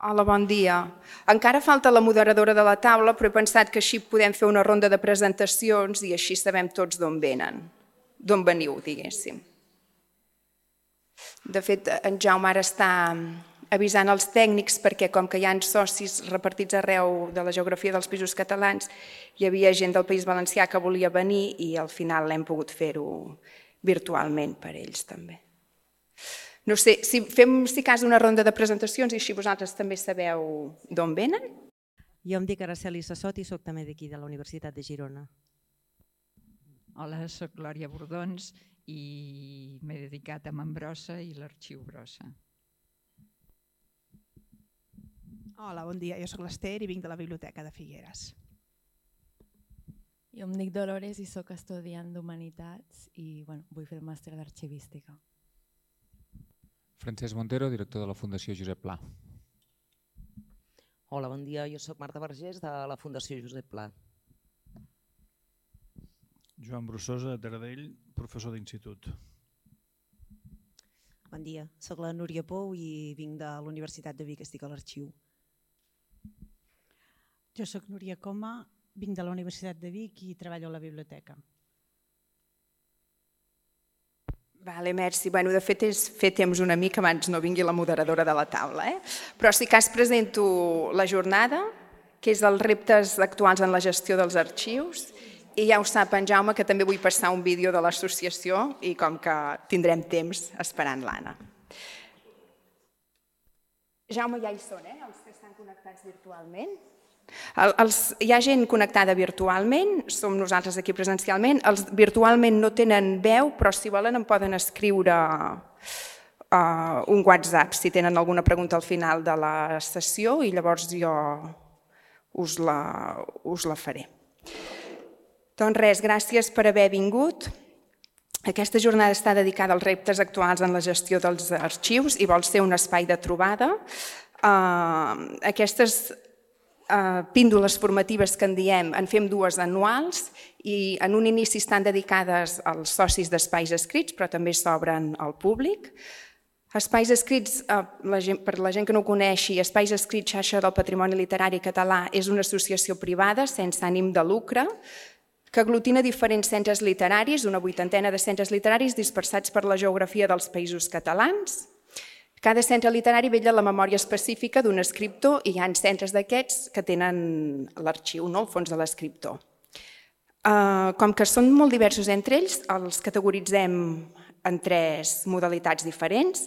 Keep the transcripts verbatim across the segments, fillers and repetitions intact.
Hola, bon dia. Encara falta la moderadora de la taula, però he pensat que així podem fer una ronda de presentacions i així sabem tots d'on venen, d'on veniu, diguéssim. De fet, en Jaume ara està avisant els tècnics perquè com que hi ha socis repartits arreu de la geografia dels Països Catalans, hi havia gent del País Valencià que volia venir i al final hem pogut fer-ho virtualment per ells també. No sé, si fem si cas una ronda de presentacions i així vosaltres també sabeu d'on venen? Jo em dic Araceli Sassot i soc també d'aquí, de la Universitat de Girona. Hola, soc Glòria Bordons i m'he dedicat a Montbrossa i l'Arxiu Brossa. Hola, bon dia. Jo soc l'Ester i vinc de la Biblioteca de Figueres. Jo em dic Dolores i soc estudiant d'Humanitats i bueno, vull fer el màster d'Arxivística. Francesc Montero, director de la Fundació Josep Pla. Hola, bon dia. Jo soc Marta Vergés de la Fundació Josep Pla. Joan Brussosa, de Taradell, professor d'institut. Bon dia. Soc la Núria Pou i vinc de la Universitat de Vic, estic a l'Arxiu. Jo soc Núria Coma, vinc de la Universitat de Vic i treballo a la biblioteca. Vale, merci. Bueno, de fet, és fer temps una mica abans no vingui la moderadora de la taula. Eh? Però sí que es presento la jornada, que és els reptes actuals en la gestió dels arxius, i ja ho sap en Jaume que també vull passar un vídeo de l'associació i com que tindrem temps esperant l'Anna. Jaume, ja hi són, eh? Els que estan connectats virtualment. Els, hi ha gent connectada virtualment, som nosaltres aquí presencialment, els virtualment no tenen veu, però si volen em poden escriure uh, un WhatsApp si tenen alguna pregunta al final de la sessió i llavors jo us la, us la faré. Doncs res, gràcies per haver vingut. Aquesta jornada està dedicada als reptes actuals en la gestió dels arxius i vol ser un espai de trobada. Uh, aquestes Uh, píndoles formatives que en diem, en fem dues anuals i en un inici estan dedicades als socis d'espais escrits, però també s'obren al públic. Espais escrits, uh, la gent, per la gent que no ho coneixi, Espais Escrits Xarxa del Patrimoni Literari Català és una associació privada sense ànim de lucre que aglutina diferents centres literaris, una vuitantena de centres literaris dispersats per la geografia dels països catalans. Cada centre literari vetlla la memòria específica d'un escriptor i hi ha centres d'aquests que tenen l'arxiu, no? El fons de l'escriptor. Com que són molt diversos entre ells, els categoritzem en tres modalitats diferents.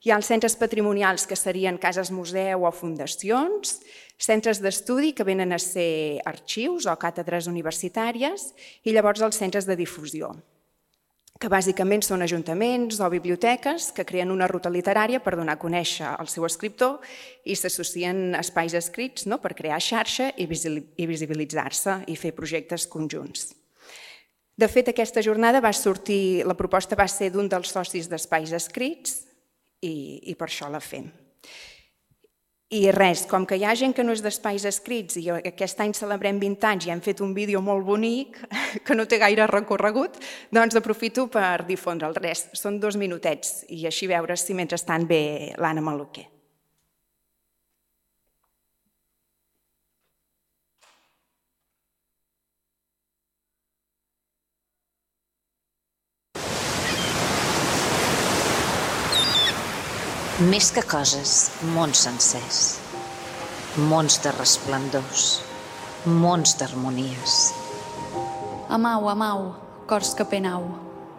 Hi ha els centres patrimonials, que serien cases museu o fundacions, centres d'estudi, que venen a ser arxius o càtedres universitàries, i llavors els centres de difusió, que bàsicament són ajuntaments o biblioteques que creen una ruta literària per donar a conèixer el seu escriptor i s'associen a espais escrits per crear xarxa i visibilitzar-se i fer projectes conjunts. De fet, aquesta jornada va sortir, la proposta va ser d'un dels socis d'Espais Escrits i per això la fem. I res, com que hi ha gent que no és d'Espais Escrits i aquest any celebrem vint anys i hem fet un vídeo molt bonic que no té gaire recorregut, doncs aprofito per difondre el res. Són dos minutets i així veure si mentrestant ve l'Anna Maluquer. Més que coses, mons sencers, mons de resplendors, mons d'harmonies. Amau, amau, cors que penau,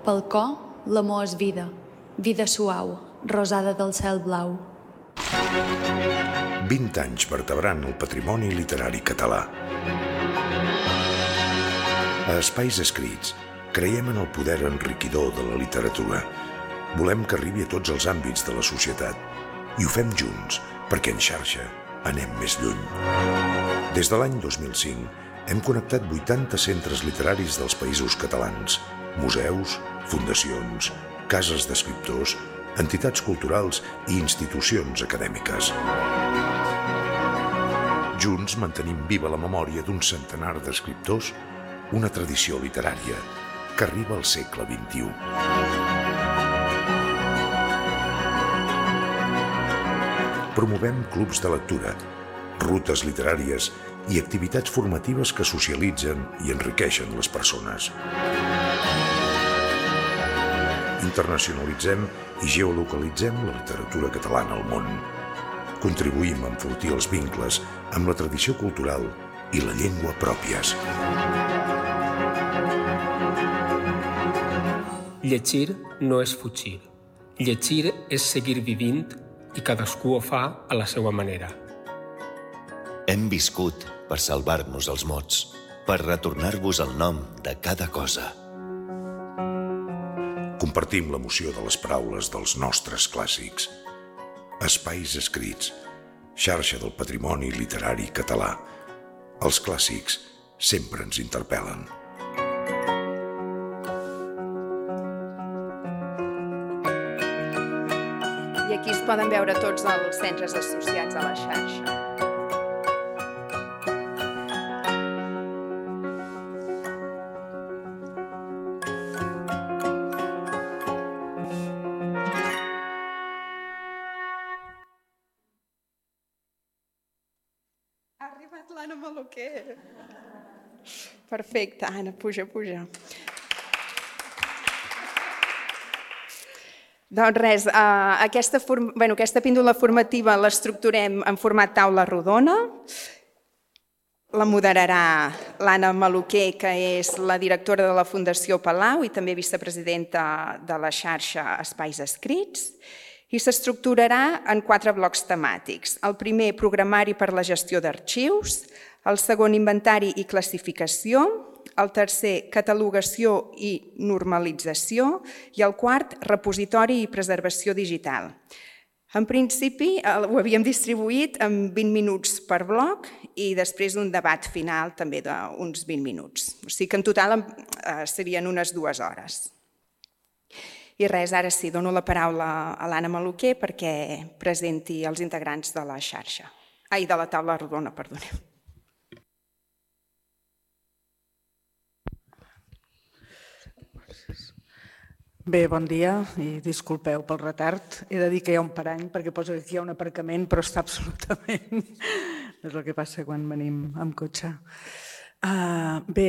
pel cor l'amor és vida, vida suau, rosada del cel blau. vint anys vertebrant el patrimoni literari català. A Espais Escrits creiem en el poder enriquidor de la literatura. Volem que arribi a tots els àmbits de la societat i ho fem junts perquè en xarxa anem més lluny. Des de l'any dos mil cinc hem connectat vuitanta centres literaris dels països catalans, museus, fundacions, cases d'escriptors, entitats culturals i institucions acadèmiques. Junts mantenim viva la memòria d'un centenar d'escriptors, una tradició literària que arriba al segle vint-i-u. Promovem clubs de lectura, rutes literàries i activitats formatives que socialitzen i enriqueixen les persones. Internacionalitzem i geolocalitzem la literatura catalana al món. Contribuïm a enfortir els vincles amb la tradició cultural i la llengua pròpies. Llegir no és fugir. Llegir és seguir vivint i cadascú ho fa a la seva manera. Hem viscut per salvar-nos els mots, per retornar-vos el nom de cada cosa. Compartim l'emoció de les paraules dels nostres clàssics. Espais escrits, xarxa del patrimoni literari català. Els clàssics sempre ens interpel·len. I aquí es poden veure tots els centres associats a la xarxa. Perfecte, Anna, puja, puja. Doncs res, aquesta, bueno, aquesta píndola formativa l'estructurem en format taula rodona. La moderarà l'Anna Maluquer, que és la directora de la Fundació Palau i també vicepresidenta de la xarxa Espais Escrits. I s'estructurarà en quatre blocs temàtics. El primer, programari per la gestió d'arxius. El segon, inventari i classificació. El tercer, catalogació i normalització. I el quart, repositori i preservació digital. En principi ho havíem distribuït en vint minuts per bloc i després un debat final també d'uns vint minuts. O sigui que en total serien unes dues hores. I res, ara sí, dono la paraula a l'Anna Maluquer perquè presenti els integrants de la xarxa. Ai, de la taula rodona, perdoneu. Bé, bon dia i disculpeu pel retard. He de dir que hi ha un parany perquè posa que aquí hi ha un aparcament, però està absolutament... És el que passa quan venim amb cotxe. Bé,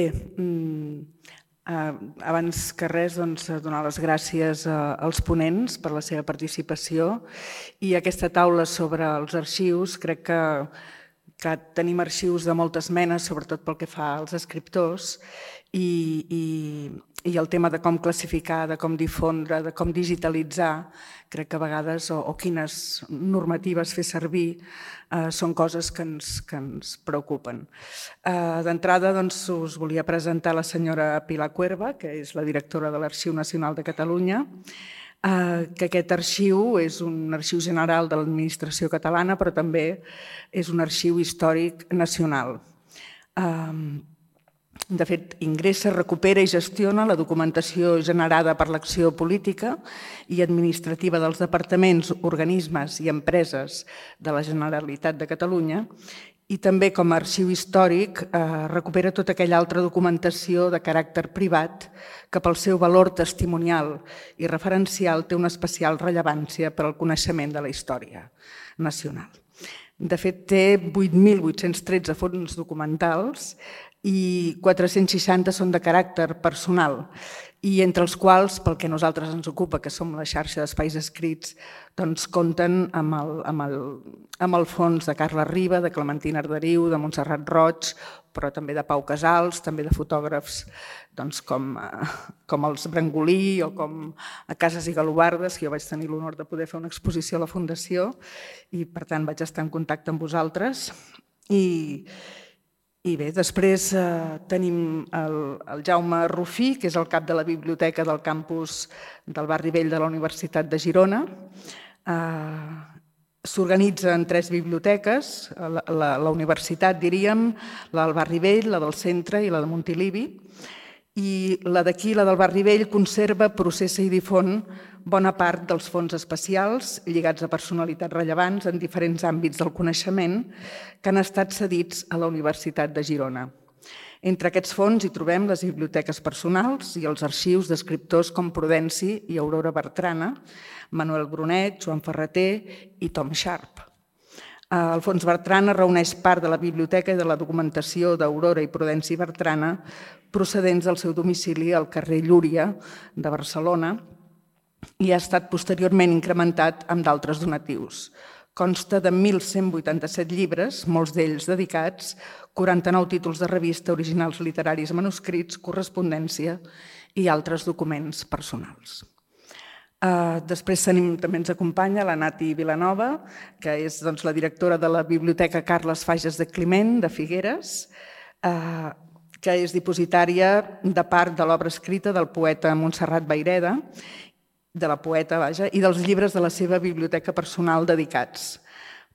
abans que res, donar les gràcies als ponents per la seva participació i aquesta taula sobre els arxius. Crec que tenim arxius de moltes menes, sobretot pel que fa als escriptors, i el tema de com classificar, de com difondre, de com digitalitzar, crec que a vegades, o quines normatives fer servir, són coses que ens preocupen. D'entrada, us volia presentar la senyora Pilar Cuerva, que és la directora de l'Arxiu Nacional de Catalunya, que aquest arxiu és un arxiu general de l'administració catalana, però també és un arxiu històric nacional. De fet, ingressa, recupera i gestiona la documentació generada per l'acció política i administrativa dels departaments, organismes i empreses de la Generalitat de Catalunya i també, com a arxiu històric, recupera tota aquella altra documentació de caràcter privat que pel seu valor testimonial i referencial té una especial rellevància per al coneixement de la història nacional. De fet, té vuit mil vuit-cents tretze fons documentals i quatre-cents seixanta són de caràcter personal i entre els quals, pel que a nosaltres ens ocupa, que som la xarxa d'espais escrits, doncs compten amb el fons de Carla Riba, de Clementina Arderiu, de Montserrat Roig, però també de Pau Casals, també de fotògrafs com els Brangolí o com a Casas i Galobardes, que jo vaig tenir l'honor de poder fer una exposició a la Fundació i per tant vaig estar en contacte amb vosaltres. I I bé, després tenim el Jaume Rufí, que és el cap de la biblioteca del campus del Barri Vell de la Universitat de Girona. S'organitza en tres biblioteques, la universitat, diríem, la del Barri Vell, la del centre i la de Montilivi. I la d'aquí, la del Barri Vell, conserva, processa i difon bona part dels fons especials lligats a personalitats rellevants en diferents àmbits del coneixement que han estat cedits a la Universitat de Girona. Entre aquests fons hi trobem les biblioteques personals i els arxius d'escriptors com Prudenci i Aurora Bertrana, Manuel Brunet, Joan Ferreter i Tom Sharp. El Fons Bertrana reuneix part de la biblioteca i de la documentació d'Aurora i Prudenci Bertrana procedents del seu domicili al carrer Llúria de Barcelona i ha estat posteriorment incrementat amb d'altres donatius. Consta de mil cent vuitanta-set llibres, molts d'ells dedicats, quaranta-nou títols de revista, originals literaris manuscrits, correspondència i altres documents personals. Després també ens acompanya la Nati Vilanova, que és la directora de la Biblioteca Carles Fages de Climent, de Figueres, que és dipositària de part de l'obra escrita del poeta Montserrat Vayreda, de la poeta, vaja, i dels llibres de la seva biblioteca personal dedicats.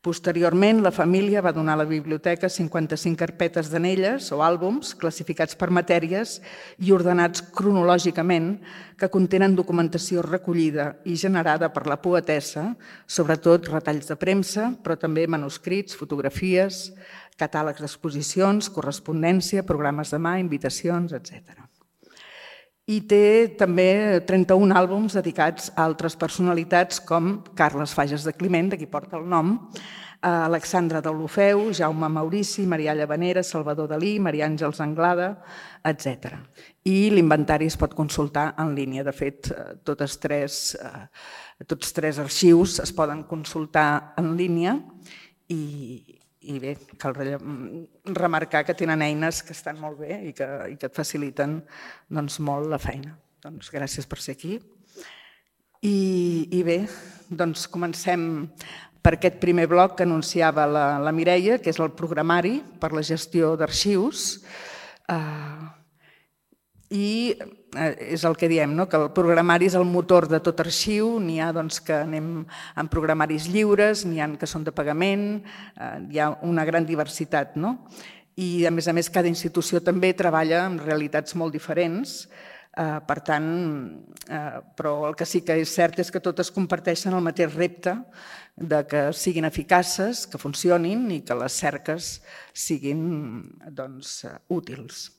Posteriorment, la família va donar a la biblioteca cinquanta-cinc carpetes d'anelles o àlbums classificats per matèries i ordenats cronològicament que contenen documentació recollida i generada per la poetessa, sobretot retalls de premsa, però també manuscrits, fotografies, catàlegs d'exposicions, correspondència, programes de mà, invitacions, etcètera. I té també trenta-un àlbums dedicats a altres personalitats com Carles Fages de Climent, de qui porta el nom, Alexandra Deulofeu, Jaume Maurici, Marià Llavanera, Salvador Dalí, Maria Àngels Anglada, etcètera. I l'inventari es pot consultar en línia. De fet, tots tres, tots tres arxius es poden consultar en línia i I bé, cal remarcar que tenen eines que estan molt bé i que, i que et faciliten doncs, molt la feina. Doncs gràcies per ser aquí. I, i bé, doncs comencem per aquest primer bloc que anunciava la, la Mireia, que és el programari per la gestió d'arxius. Uh, I és el que diem, no? Que el programari és el motor de tot arxiu, n'hi ha doncs, que anem amb programaris lliures, n'hi ha que són de pagament, eh, hi ha una gran diversitat. No? I a més a més cada institució també treballa amb realitats molt diferents, eh, per tant, eh, però el que sí que és cert és que totes comparteixen el mateix repte de que siguin eficaces, que funcionin i que les cerques siguin doncs, útils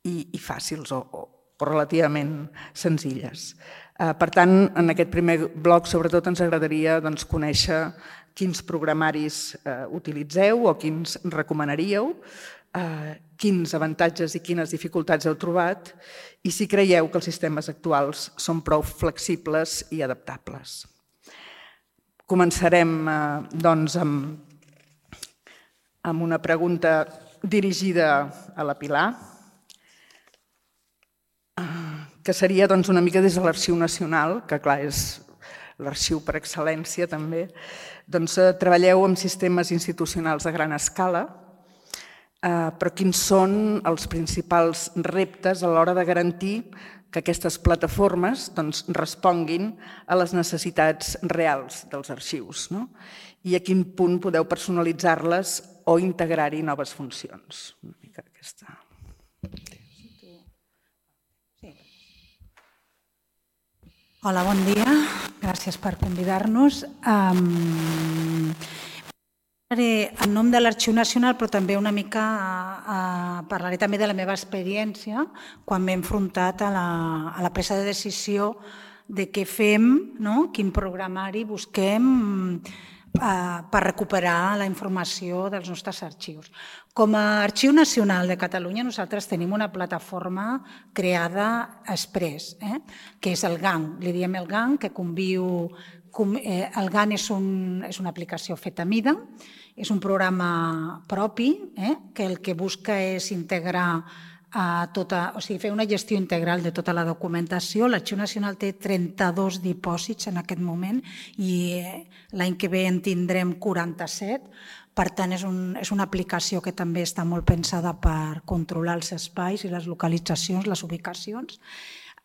i, i fàcils o, o o relativament senzilles. Per tant, en aquest primer bloc sobretot ens agradaria doncs, conèixer quins programaris eh, utilitzeu o quins recomanaríeu, eh, quins avantatges i quines dificultats heu trobat i si creieu que els sistemes actuals són prou flexibles i adaptables. Començarem eh, doncs, amb, amb una pregunta dirigida a la Pilar, que seria doncs, una mica des de l'Arxiu Nacional, que clar és l'arxiu per excel·lència també, doncs treballeu amb sistemes institucionals a gran escala, eh, però quins són els principals reptes a l'hora de garantir que aquestes plataformes doncs, responguin a les necessitats reals dels arxius, no? I a quin punt podeu personalitzar-les o integrar-hi noves funcions. Una mica aquesta... Hola, bon dia. Gràcies per convidar-nos. Um, en nom de l'Arxiu Nacional, però també una mica uh, parlaré també de la meva experiència quan m'he enfrontat a la, a la presa de decisió de què fem, no? Quin programari busquem uh, per recuperar la informació dels nostres arxius. Com a Arxiu Nacional de Catalunya nosaltres tenim una plataforma creada express, eh? Que és el G A N. Li diem el G A N, que conviu... Eh, el G A N és, un, és una aplicació feta a mida, és un programa propi, eh? Que el que busca és integrar a tota, o sigui, fer una gestió integral de tota la documentació. L'Arxiu Nacional té trenta-dos dipòsits en aquest moment i l'any que ve en tindrem quaranta-set. Per tant, és, un, és una aplicació que també està molt pensada per controlar els espais i les localitzacions, les ubicacions.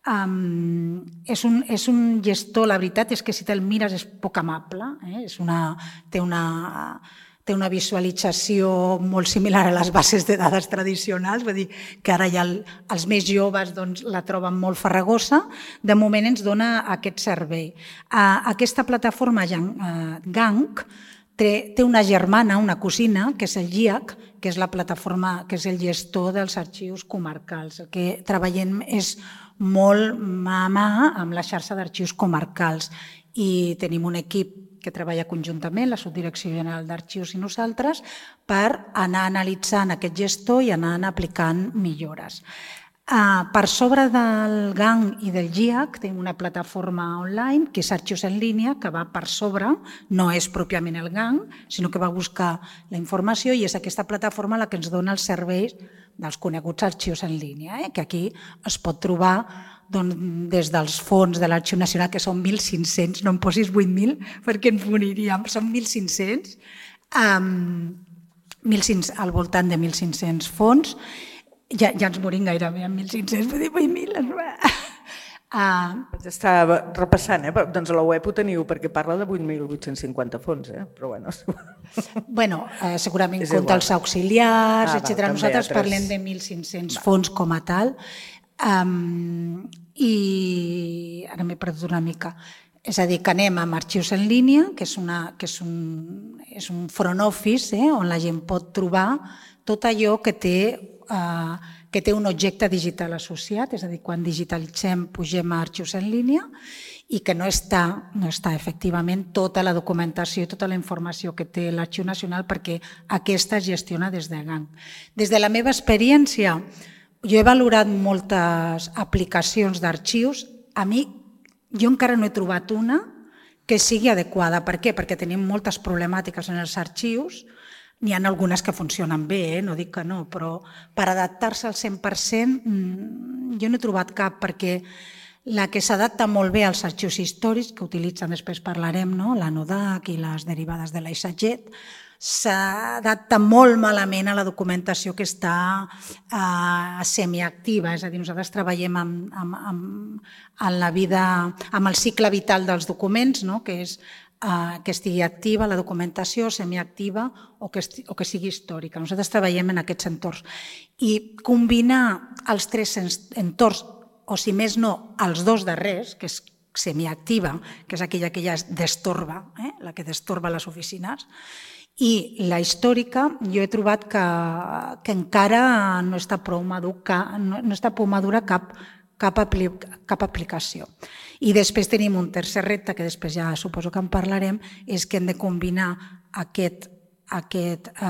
Um, és, un, és un gestor, la veritat és que si te'l mires és poc amable, eh? és una, té, una, té una visualització molt similar a les bases de dades tradicionals, vull dir que ara ja el, els més joves doncs, la troben molt farragosa. De moment ens dona aquest servei. Uh, aquesta plataforma uh, G A N C Té, té una germana, una cosina, que és el G I A C, que és la plataforma, que és el gestor dels arxius comarcals. El que treballem és molt mà a mà amb la xarxa d'arxius comarcals i tenim un equip que treballa conjuntament, la Subdirecció General d'Arxius i nosaltres, per anar analitzant aquest gestor i anar aplicant millores. Per sobre del G A N i del G I A C tenim una plataforma online que és Arxius en línia, que va per sobre, no és pròpiament el G A N, sinó que va buscar la informació i és aquesta plataforma la que ens dona els serveis dels coneguts arxius en línia, que aquí es pot trobar des dels fons de l'Arxiu Nacional, que són mil cinc-cents, no em posis vuit mil perquè ens moriríem, són mil cinc-cents, al voltant de mil cinc-cents fons. Ja ens morim gairebé amb mil cinc-cents, vull dir vuit mil. Estava repassant, doncs a la web ho teniu perquè parla de vuit mil vuit-cents cinquanta fons, però bueno... Bueno, segurament compta els auxiliars, etcètera. Nosaltres parlem de mil cinc-cents fons com a tal i ara m'he perdut una mica. És a dir, que anem amb arxius en línia, que és un front office on la gent pot trobar tot allò que té que té un objecte digital associat, és a dir, quan digitalitzem pugem a arxius en línia i que no està, no està efectivament tota la documentació i tota la informació que té l'Arxiu Nacional perquè aquesta es gestiona des de G A N. Des de la meva experiència, jo he valorat moltes aplicacions d'arxius. A mi, jo encara no he trobat una que sigui adequada. Per què? Perquè tenim moltes problemàtiques en els arxius. N'hi ha algunes que funcionen bé, no dic que no, però per adaptar-se al cent per cent jo no he trobat cap, perquè la que s'adapta molt bé als arxius històrics, que utilitzen, després parlarem, la NODAC i les derivades de l'AISAGET, s'adapta molt malament a la documentació que està semiactiva, és a dir, nosaltres treballem en la vida, amb el cicle vital dels documents, que és que estigui activa la documentació, semiactiva o que sigui històrica. Nosaltres treballem en aquests entorns. I combinar els tres entorns, o si més no, els dos darrers, que és semiactiva, que és aquella que ja destorba, la que destorba les oficines, i la històrica, jo he trobat que encara no està prou madura cap cap aplicació. I després tenim un tercer repte, que després ja suposo que en parlarem, és que hem de combinar aquest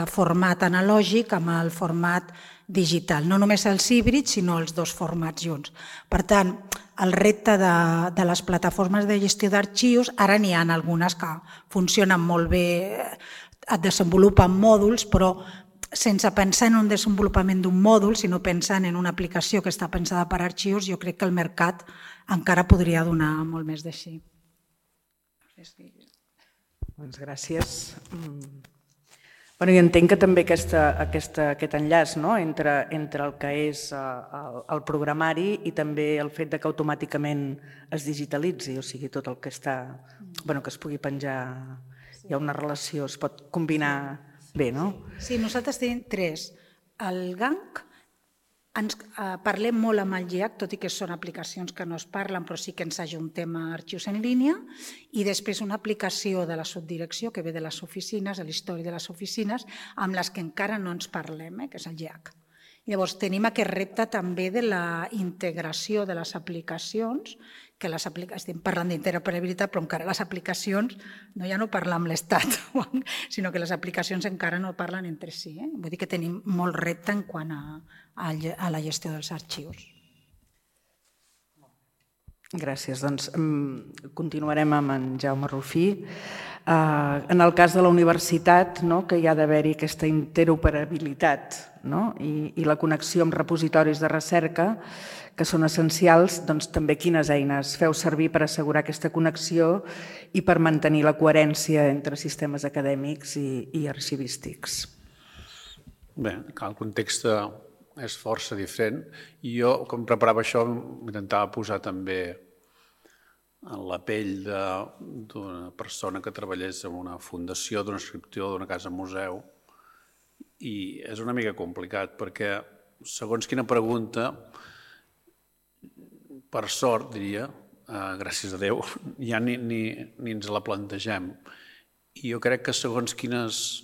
format analògic amb el format digital. No només els híbrids, sinó els dos formats junts. Per tant, el repte de les plataformes de gestió d'arxius, ara n'hi ha algunes que funcionen molt bé, et desenvolupen mòduls, però sense pensar en un desenvolupament d'un mòdul, sinó pensant en una aplicació que està pensada per arxius, jo crec que el mercat encara podria donar molt més d'així. Doncs gràcies. I entenc que també aquest enllaç entre el que és el programari i també el fet que automàticament es digitalitzi, o sigui, tot el que està, que es pugui penjar, hi ha una relació, es pot combinar bé, no? Sí, nosaltres tenim tres. El G A N C, parlem molt amb el G I A C, tot i que són aplicacions que no es parlen, però sí que ens ajuntem a arxius en línia, i després una aplicació de la subdirecció que ve de les oficines, de l'història de les oficines, amb les que encara no ens parlem, que és el G I A C. Llavors, tenim aquest repte també de la integració de les aplicacions, que estem parlant d'interoperabilitat, però encara les aplicacions ja no parlen amb l'Estat, sinó que les aplicacions encara no parlen entre si. Vull dir que tenim molt repte en quant a la gestió dels arxius. Gràcies. Doncs continuarem amb en Jaume Rufí. En el cas de la universitat, que hi ha d'haver-hi aquesta interoperabilitat i la connexió amb repositoris de recerca, que són essencials, doncs també quines eines feu servir per assegurar aquesta connexió i per mantenir la coherència entre sistemes acadèmics i arxivístics. Bé, el context és força diferent i jo, quan preparava això, m'intentava posar també en la pell d'una persona que treballés en una fundació, d'una escriptura, d'una casa museu, i és una mica complicat perquè, segons quina pregunta, per sort, diria, gràcies a Déu, ja ni ens la plantegem. I jo crec que segons quines...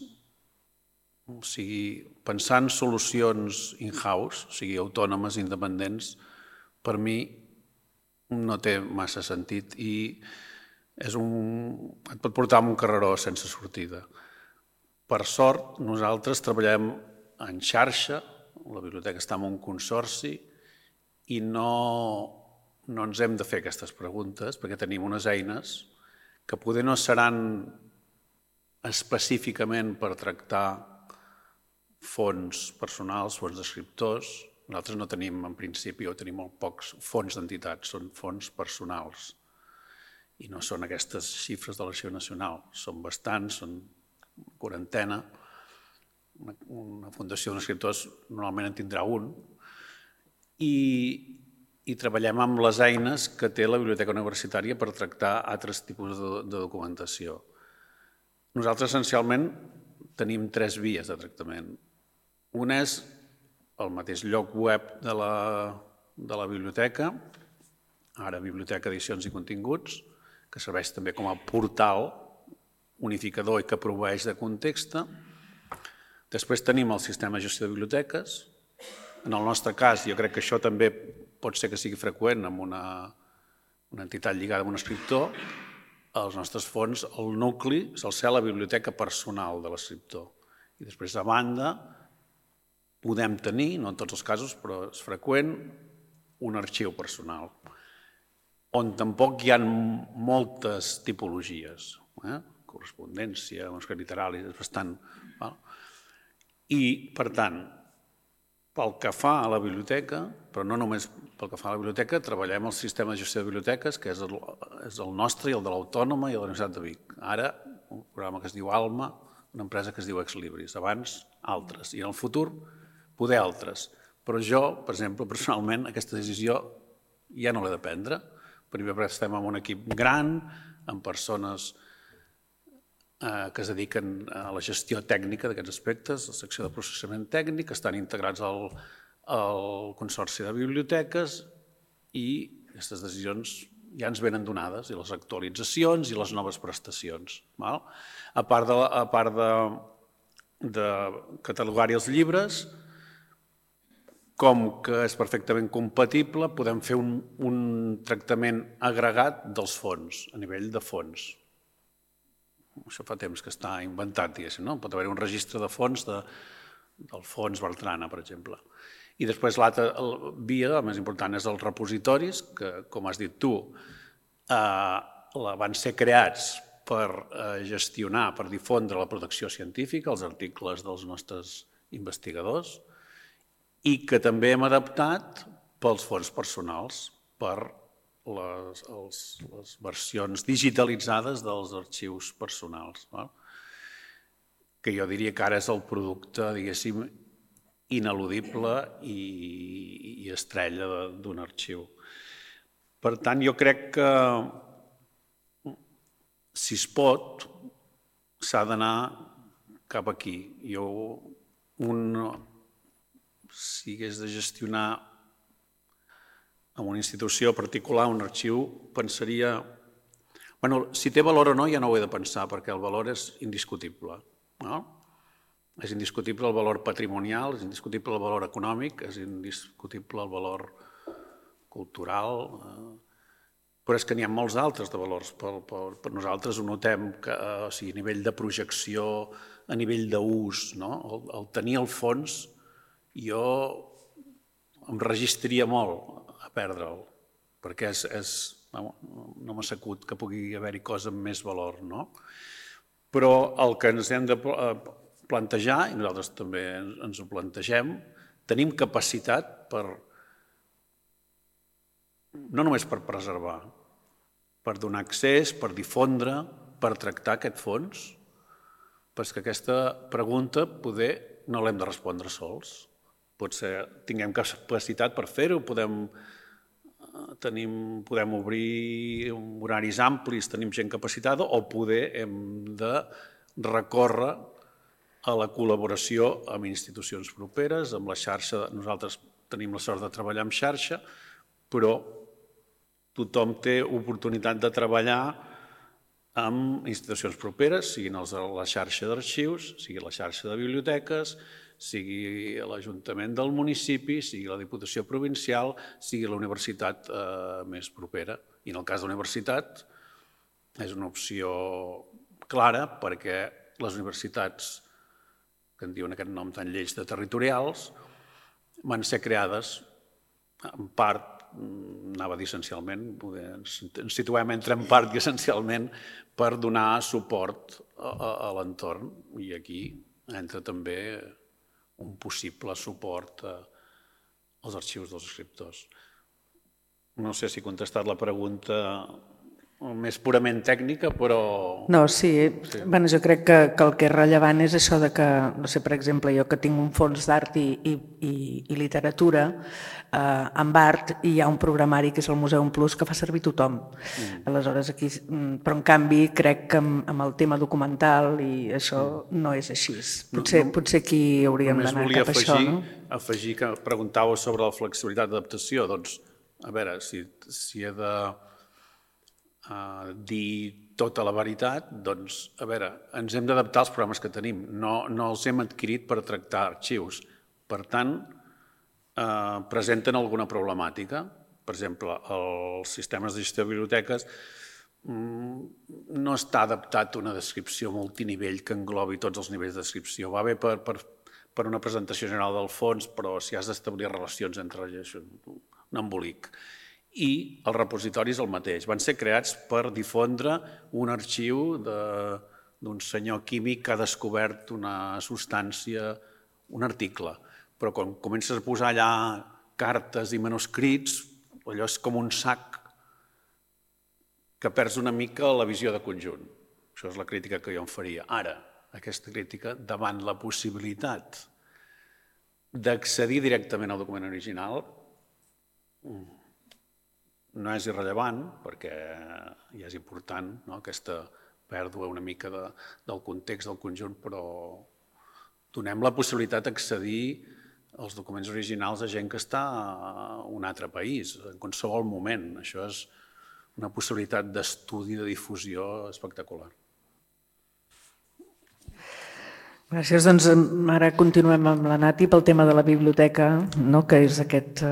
O sigui, pensar en solucions in-house, o sigui, autònomes, independents, per mi no té massa sentit. I és un, et pot portar a un carreró sense sortida. Per sort, nosaltres treballem en xarxa, la biblioteca està en un consorci i no, no ens hem de fer aquestes preguntes perquè tenim unes eines que poder no seran específicament per tractar fons personals, fons d'escriptors. Nosaltres no tenim, en principi, o tenim molt pocs fons d'entitats, són fons personals. I no són aquestes xifres de l'Arxiu Nacional, són bastants, són quarantena. Una fundació d'escriptors normalment en tindrà un. I, i treballem amb les eines que té la Biblioteca Universitària per tractar altres tipus de, de documentació. Nosaltres, essencialment, tenim tres vies de tractament. Una és el mateix lloc web de la, de la biblioteca, ara Biblioteca Edicions i Continguts, que serveix també com a portal unificador i que proveeix de context. Després tenim el sistema de gestió de biblioteques. En el nostre cas, jo crec que això també pot ser que sigui freqüent amb una, una entitat lligada amb un escriptor. Els nostres fons, el nucli, se'l sé la biblioteca personal de l'escriptor. I després, a banda, podem tenir, no en tots els casos, però és freqüent, un arxiu personal, on tampoc hi ha moltes tipologies. Eh? Correspondència, manuscrit literari, és bastant... Val? I, per tant, pel que fa a la biblioteca, però no només pel que fa a la biblioteca, treballem el sistema de gestió de biblioteques, que és el, és el nostre i el de l'Autònoma i de la Universitat de Vic. Ara, un programa que es diu Alma, una empresa que es diu Exlibris. Abans, altres. I en el futur, poder altres. Però jo, per exemple, personalment, aquesta decisió ja no l'he de prendre. Primer perquè estem en un equip gran, amb persones que es dediquen a la gestió tècnica d'aquests aspectes, la secció de processament tècnic, que estan integrats al, al Consorci de Biblioteques i aquestes decisions ja ens venen donades, i les actualitzacions i les noves prestacions. Val? A part de, a part de, de catalogar-hi els llibres, com que és perfectament compatible, podem fer un, un tractament agregat dels fons, a nivell de fons. Això fa temps que està inventat, diguéssim, no? Pot haver un registre de fons de, del fons Bertrana, per exemple. I després l'altra via, la més important, és els repositoris, que, com has dit tu, eh, van ser creats per eh, gestionar, per difondre la producció científica, els articles dels nostres investigadors, i que també hem adaptat pels fons personals, per Les, els, les versions digitalitzades dels arxius personals, no? Que jo diria que ara és el producte, diguéssim, ineludible i, i estrella d'un arxiu. Per tant, jo crec que, si es pot, s'ha d'anar cap aquí. Jo, un, si hagués de gestionar en una institució particular, un arxiu, pensaria... Bueno, si té valor o no ja no ho he de pensar, perquè el valor és indiscutible. No? És indiscutible el valor patrimonial, és indiscutible el valor econòmic, és indiscutible el valor cultural, però és que n'hi ha molts altres de valors. Per, per, per nosaltres ho notem, que, o sigui, a nivell de projecció, a nivell d'ús, no? el, el tenir el fons, jo em registraria molt a perdre'l, perquè és, és, no, no m'ha sacut que pugui haver-hi cosa amb més valor, no? Però el que ens hem de plantejar, i nosaltres també ens ho plantegem, tenim capacitat per, no només per preservar, per donar accés, per difondre, per tractar aquest fons, perquè aquesta pregunta poder no l'hem de respondre sols. Potser tinguem capacitat per fer-ho, podem, tenim, podem obrir horaris amplis, tenim gent capacitada, o poder hem de recórrer a la col·laboració amb institucions properes, amb la xarxa. Nosaltres tenim la sort de treballar en xarxa, però tothom té oportunitat de treballar amb institucions properes, siguin els de la xarxa d'arxius, sigui la xarxa de biblioteques, sigui l'Ajuntament del municipi, sigui la Diputació Provincial, sigui la universitat eh, més propera. I en el cas de la universitat, és una opció clara perquè les universitats, que en diuen aquest nom tan lleig de territorials, van ser creades en part, anava a dir essencialment, ens situem entre en part i essencialment per donar suport a l'entorn, i aquí entra també un possible suport als arxius dels escriptors. No sé si he contestat la pregunta més purament tècnica, però... No, sí. Bueno, jo crec que, que el que és rellevant és això de que, no sé, per exemple, jo que tinc un fons d'art i, i, i, i literatura, eh, amb art hi ha un programari que és el Museum Plus que fa servir tothom. Mm. Aleshores, aquí... Però, en canvi, crec que amb, amb el tema documental i això mm. no és així. Potser, no, no, potser aquí hauríem d'anar cap a això, no? Afegir que preguntàveu sobre la flexibilitat d'adaptació. Doncs, a veure, si, si he de... Uh, dir tota la veritat, doncs, a veure, ens hem d'adaptar als programes que tenim. No, no els hem adquirit per tractar arxius. Per tant, uh, presenten alguna problemàtica. Per exemple, els sistemes de gestió de biblioteques um, no està adaptat a una descripció multinivell que englobi tots els nivells de descripció. Va bé per, per, per una presentació general del fons, però si has d'establir relacions entre ells, un embolic. I el repositori és el mateix. Van ser creats per difondre un arxiu d'un senyor químic que ha descobert una substància, un article. Però quan comences a posar allà cartes i manuscrits, allò és com un sac que perds una mica la visió de conjunt. Això és la crítica que jo em faria. Ara, aquesta crítica davant la possibilitat d'accedir directament al document original no és irrellevant, perquè ja és important aquesta pèrdua una mica del context del conjunt, però donem la possibilitat d'accedir als documents originals a gent que està a un altre país, en qualsevol moment. Això és una possibilitat d'estudi, de difusió espectacular. Gràcies. Doncs ara continuem amb la Nati pel tema de la biblioteca, que és aquest...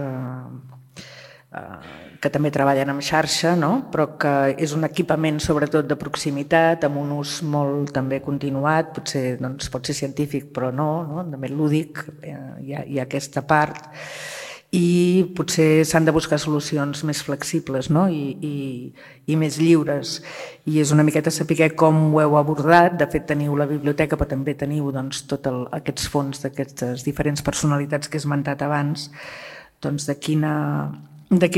que també treballen en xarxa, però que és un equipament sobretot de proximitat, amb un ús molt també continuat, potser pot ser científic però no, també lúdic, hi ha aquesta part, i potser s'han de buscar solucions més flexibles i més lliures. I és una miqueta saber com ho heu abordat. De fet, teniu la biblioteca, però també teniu tots aquests fons d'aquestes diferents personalitats que he esmentat abans, doncs de quina... de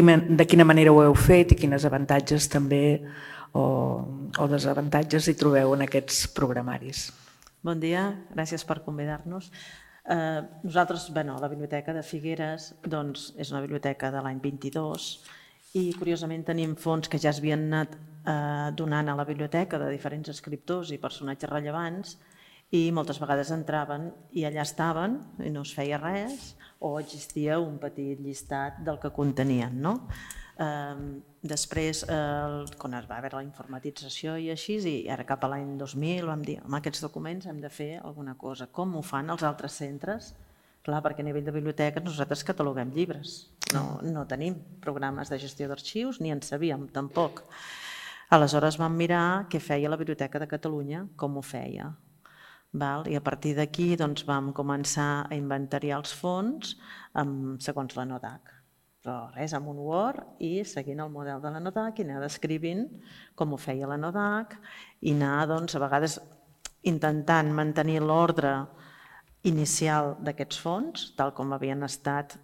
quina manera ho heu fet i quines avantatges també o desavantatges hi trobeu en aquests programaris. Bon dia, gràcies per convidar-nos. Nosaltres, la Biblioteca de Figueres és una biblioteca de l'any vint-i-dos i curiosament tenim fons que ja s'havien anat donant a la biblioteca de diferents escriptors i personatges rellevants i moltes vegades entraven i allà estaven i no es feia res o existia un petit llistat del que contenien. Després, quan es va haver la informatització i així, i ara cap a l'any dos mil vam dir amb aquests documents hem de fer alguna cosa. Com ho fan els altres centres? Clar, perquè a nivell de biblioteques nosaltres cataloguem llibres. No tenim programes de gestió d'arxius ni en sabíem tampoc. Aleshores vam mirar què feia la Biblioteca de Catalunya, com ho feia. I a partir d'aquí vam començar a inventariar els fons segons la NODAC. Però res, amb un Word i seguint el model de la NODAC i anar descrivint com ho feia la NODAC i anar, doncs, a vegades intentant mantenir l'ordre inicial d'aquests fons, tal com havien estat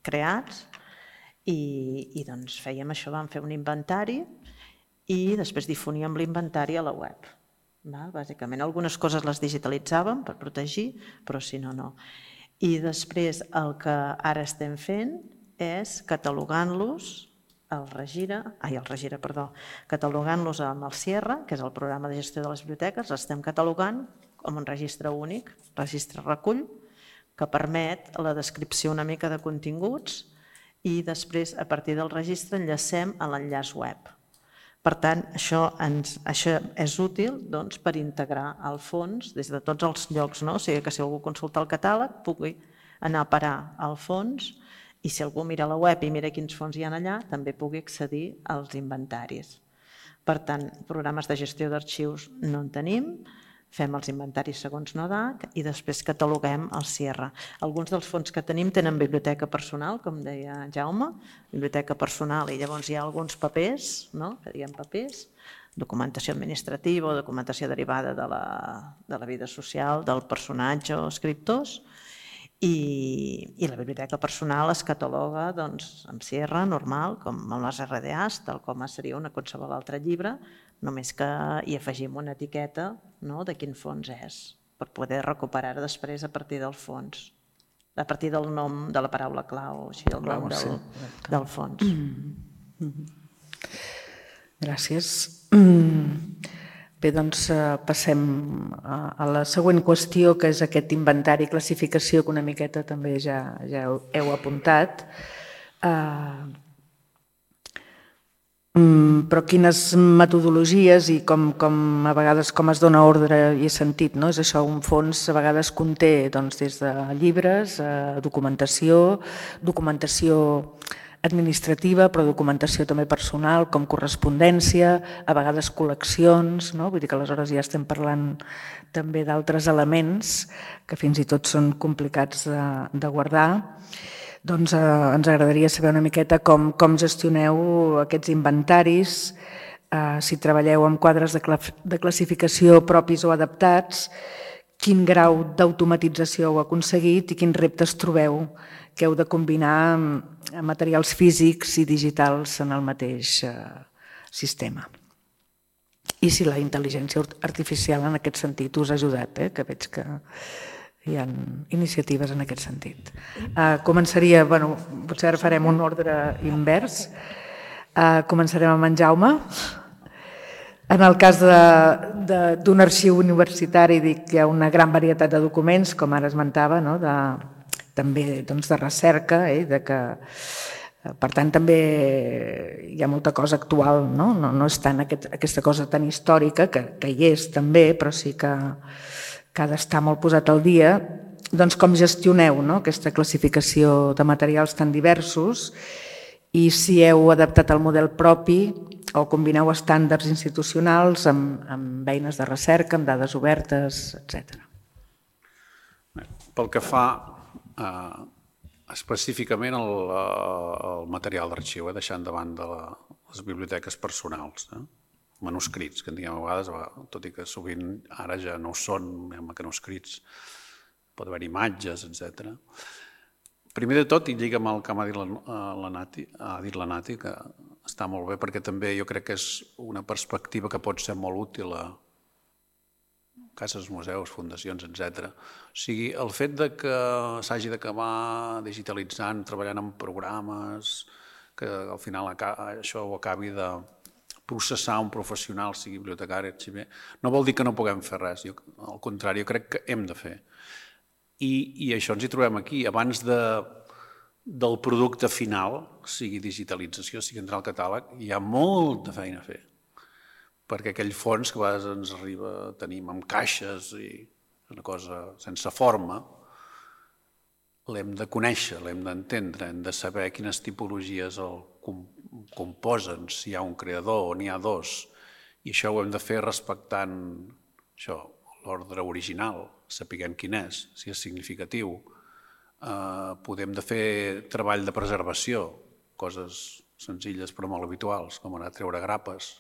creats, i fèiem això, vam fer un inventari i després difoníem l'inventari a la web. Bàsicament, algunes coses les digitalitzàvem per protegir, però si no, no. I després el que ara estem fent és catalogant-los al Regira, ai, al Regira, perdó, catalogant-los amb el Sierra, que és el programa de gestió de les biblioteques, l'estem catalogant amb un registre únic, registre recull, que permet la descripció una mica de continguts i després, a partir del registre, enllacem a l'enllaç web. Per tant, això és útil per integrar el fons des de tots els llocs, o sigui que si algú consulta el catàleg pugui anar a parar al fons i si algú mira la web i mira quins fons hi ha allà també pugui accedir als inventaris. Per tant, programes de gestió d'arxius no en tenim, fem els inventaris segons NODAC i després cataloguem el C I R. Alguns dels fons que tenim tenen biblioteca personal, com deia Jaume, biblioteca personal, i llavors hi ha alguns papers, no? Que diguem papers, documentació administrativa o documentació derivada de la, de la vida social, del personatge o escriptors, i, i la biblioteca personal es cataloga doncs, amb C I R normal, com amb les R D As, tal com seria una qualsevol altre llibre, només que hi afegim una etiqueta, no?, de quin fons és, per poder recuperar després a partir del fons, a partir del nom de la paraula clau, o així, el nom del, del fons. Gràcies. Bé, doncs passem a la següent qüestió, que és aquest inventari i classificació que una miqueta també ja, ja heu apuntat. Uh, però quines metodologies i com, com a vegades com es dona ordre i sentit, no? És això, un fons a vegades conté doncs, des de llibres, uh, documentació, documentació administrativa, però documentació també personal, com correspondència, a vegades col·leccions, no? Vull dir que aleshores ja estem parlant també d'altres elements que fins i tot són complicats de, de guardar. Doncs eh, ens agradaria saber una miqueta com, com gestioneu aquests inventaris, eh, si treballeu amb quadres de, cla de classificació propis o adaptats, quin grau d'automatització heu aconseguit i quins reptes trobeu que heu de combinar materials físics i digitals en el mateix sistema. I si la intel·ligència artificial en aquest sentit us ha ajudat, eh? Que veig que hi ha iniciatives en aquest sentit. Uh, començaria, bueno, potser ara farem un ordre invers. Uh, començarem amb en Jaume. En el cas d'un arxiu universitari dic que hi ha una gran varietat de documents, com ara esmentava, no? de, també doncs, de recerca, eh? de que, per tant també hi ha molta cosa actual, no, no, no és tant aquest, aquesta cosa tan històrica, que, que hi és també, però sí que, que ha d'estar molt posat al dia. Doncs com gestioneu, no? Aquesta classificació de materials tan diversos i si heu adaptat el model propi o combineu estàndards institucionals amb, amb eines de recerca, amb dades obertes, etcètera. Pel que fa eh, específicament el, el material d'arxiu, eh, deixant de banda la, les biblioteques personals, eh? Manuscrits, que en diguem a vegades, tot i que sovint ara ja no ho són manuscrits, pot haver imatges, etcètera. Primer de tot, i lliga amb el que m'ha dit la Nati, ha dit la Nati, que està molt bé, perquè també jo crec que és una perspectiva que pot ser molt útil a cases, museus, fundacions, etcètera. O sigui, el fet de que s'hagi d'acabar digitalitzant, treballant en programes, que al final això ho acabi de processar un professional, sigui bibliotecari, arxiver, no vol dir que no puguem fer res, jo, al contrari, jo crec que hem de fer. I, i això ens hi trobem aquí. Abans de, del producte final, sigui digitalització, sigui entrar al catàleg, hi ha molta feina a fer. Perquè aquell fons que a vegades ens arriba, tenim amb caixes i una cosa sense forma, l'hem de conèixer, l'hem d'entendre, hem de saber quines tipologies el composen, si hi ha un creador o n'hi ha dos, i això ho hem de fer respectant això, l'ordre original, sapiguem quin és, si és significatiu. Eh, podem de fer treball de preservació, coses senzilles però molt habituals, com anar a treure grapes,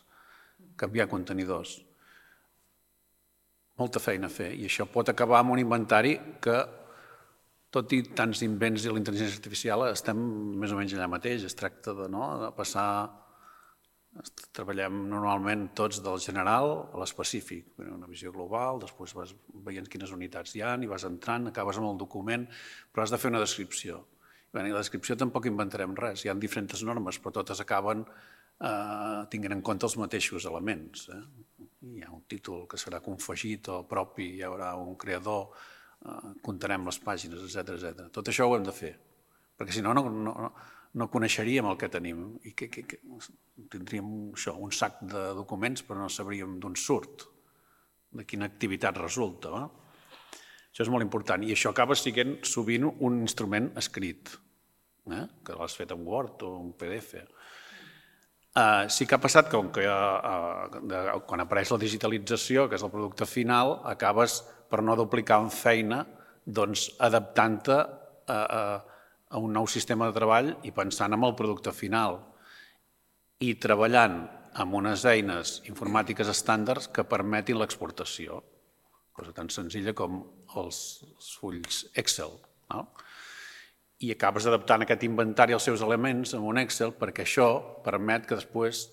canviar contenidors. Molta feina a fer, i això pot acabar amb un inventari que, tot i tants invents i la intel·ligència artificial, estem més o menys allà mateix. Es tracta de, no, de passar... Treballem normalment tots del general a l'específic, una visió global, després vas veient quines unitats hi ha i vas entrant, acabes amb el document, però has de fer una descripció. I la descripció tampoc inventarem res, hi ha diferents normes, però totes acaben eh, tinguent en compte els mateixos elements. Eh? Hi ha un títol que serà confegit o propi, hi haurà un creador, eh, comptarem les pàgines, etcètera, etcètera. Tot això ho hem de fer, perquè si no, no, no, no coneixeríem el que tenim i que, que, que tindríem això, un sac de documents però no sabríem d'on surt, de quina activitat resulta. No? Això és molt important i això acaba sent sovint un instrument escrit, eh? Que l'has fet en Word o en P D F. Uh, sí que ha passat que, que uh, de, quan apareix la digitalització, que és el producte final, acabes, per no duplicar en feina, doncs adaptant-te a, a, a un nou sistema de treball i pensant en el producte final i treballant amb unes eines informàtiques estàndards que permetin l'exportació, cosa tan senzilla com els, els fulls Excel, no? I acabes adaptant aquest inventari als seus elements en un Excel perquè això permet que després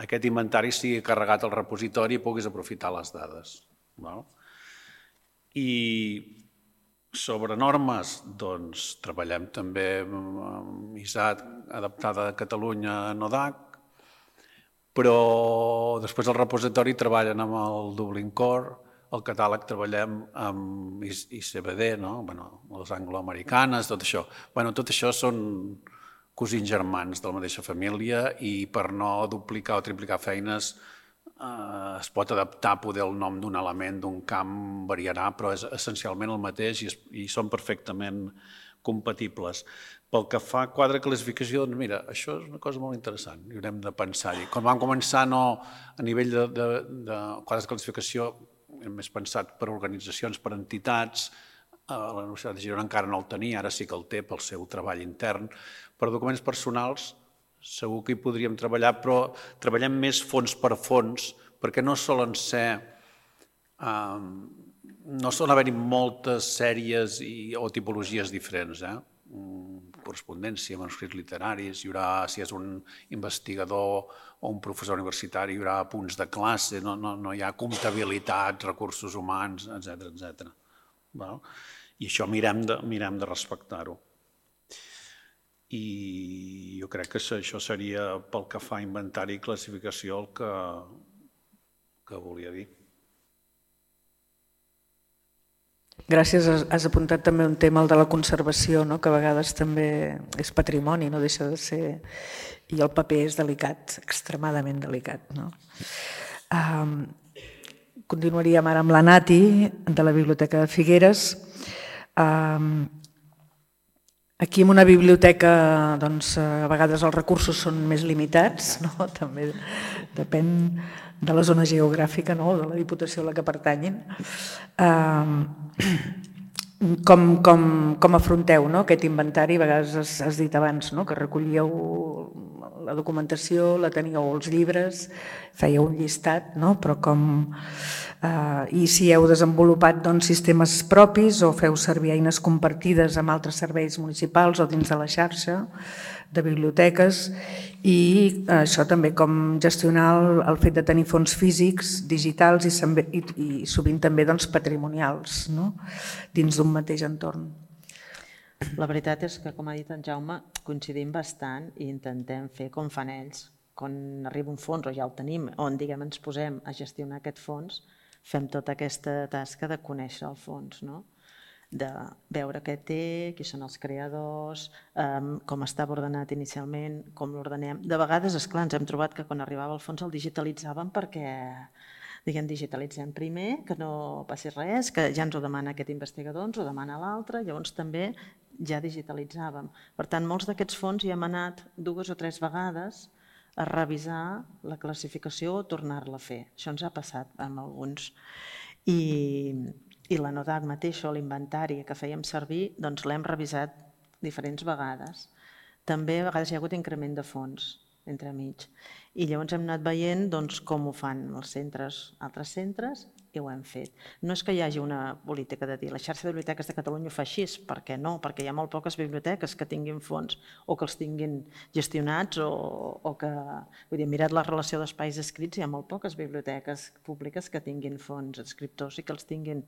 aquest inventari sigui carregat al repositori i puguis aprofitar les dades. I sobre normes, doncs treballem també amb I S A T adaptada a Catalunya a NODAC, però després al repositori treballen amb el Dublin Core, el catàleg treballem amb I C B D, no? Bueno, les angloamericanes, tot això. Bueno, tot això són cosins germans de la mateixa família i per no duplicar o triplicar feines eh, es pot adaptar poder el nom d'un element, d'un camp, variarà, però és essencialment el mateix i, es, i són perfectament compatibles. Pel que fa a quadre de classificació, doncs mira, això és una cosa molt interessant i haurem de pensar-hi. Quan vam començar no, a nivell de, de, de quadres de classificació, hem més pensat per organitzacions, per entitats, la Universitat de Girona encara no el tenia, ara sí que el té pel seu treball intern, per documents personals segur que hi podríem treballar, però treballem més fons per fons, perquè no solen ser, eh, no solen haver-hi moltes sèries i, o tipologies diferents, eh? Correspondència, manuscrits literaris, hi haurà, si és un investigador o un professor universitari, hi haurà punts de classe, no, no, no hi ha comptabilitat, recursos humans, etcètera, etcètera. I això mirem de, mirem de respectar-ho. I jo crec que això seria, pel que fa a inventari i classificació, el que, que volia dir. Gràcies, has apuntat també un tema, el de la conservació, no? Que a vegades també és patrimoni, no deixa de ser, i el paper és delicat, extremadament delicat. No? Um, continuaríem ara amb la Nati, de la Biblioteca de Figueres. Um, aquí en una biblioteca, doncs, a vegades els recursos són més limitats, no? També depèn de la zona geogràfica, no? De la Diputació a la que pertanyin. Com, com, com afronteu, no? Aquest inventari? A vegades has, has dit abans, no? Que recollíeu la documentació, la teníeu als llibres, fèieu un llistat, no? Però com... Eh, I si heu desenvolupat doncs, sistemes propis o feu servir eines compartides amb altres serveis municipals o dins de la xarxa de biblioteques, i això també com gestionar el, el fet de tenir fons físics, digitals i, i, i sovint també doncs, patrimonials, no? Dins d'un mateix entorn. La veritat és que, com ha dit en Jaume, coincidim bastant i intentem fer com fan ells. Quan arriba un fons, o ja el tenim, on diguem ens posem a gestionar aquest fons, fem tota aquesta tasca de conèixer el fons, no? De veure què té, qui són els creadors, com estava ordenat inicialment, com l'ordenem. De vegades, esclar, ens hem trobat que quan arribava el fons el digitalitzàvem perquè, diguem, digitalitzem primer, que no passi res, que ja ens ho demana aquest investigador, ens ho demana l'altre, llavors també ja digitalitzàvem. Per tant, molts d'aquests fons hi hem anat dues o tres vegades a revisar la classificació o tornar-la a fer. Això ens ha passat amb alguns. I... I la NODAC mateixa, o l'inventari que fèiem servir, doncs l'hem revisat diferents vegades. També a vegades hi ha hagut increment de fons entremig. I llavors hem anat veient doncs, com ho fan els centres, altres centres, i ho hem fet. No és que hi hagi una política de dir la xarxa de biblioteques de Catalunya ho fa així, perquè no, perquè hi ha molt poques biblioteques que tinguin fons o que els tinguin gestionats o, o que, vull dir, mirat la relació d'espais escrits, hi ha molt poques biblioteques públiques que tinguin fons escriptors i que els tinguin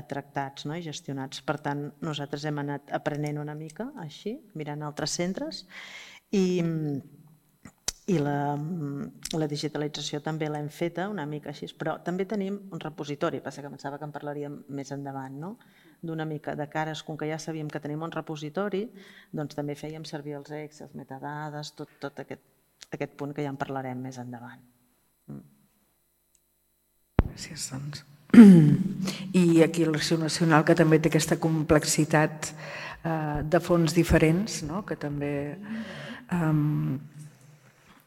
tractats, no? I gestionats. Per tant, nosaltres hem anat aprenent una mica així, mirant altres centres, i I la, la digitalització també l'hem feta una mica així, però també tenim un repositori, passa que pensava que en parlaríem més endavant, no? D'una mica de cares, com que ja sabíem que tenim un repositori, doncs també fèiem servir els Excel, els metadades, tot, tot aquest, aquest punt que ja en parlarem més endavant. Gràcies, doncs. I aquí l'Arxiu Nacional, que també té aquesta complexitat eh, de fons diferents, no? Que també... Eh,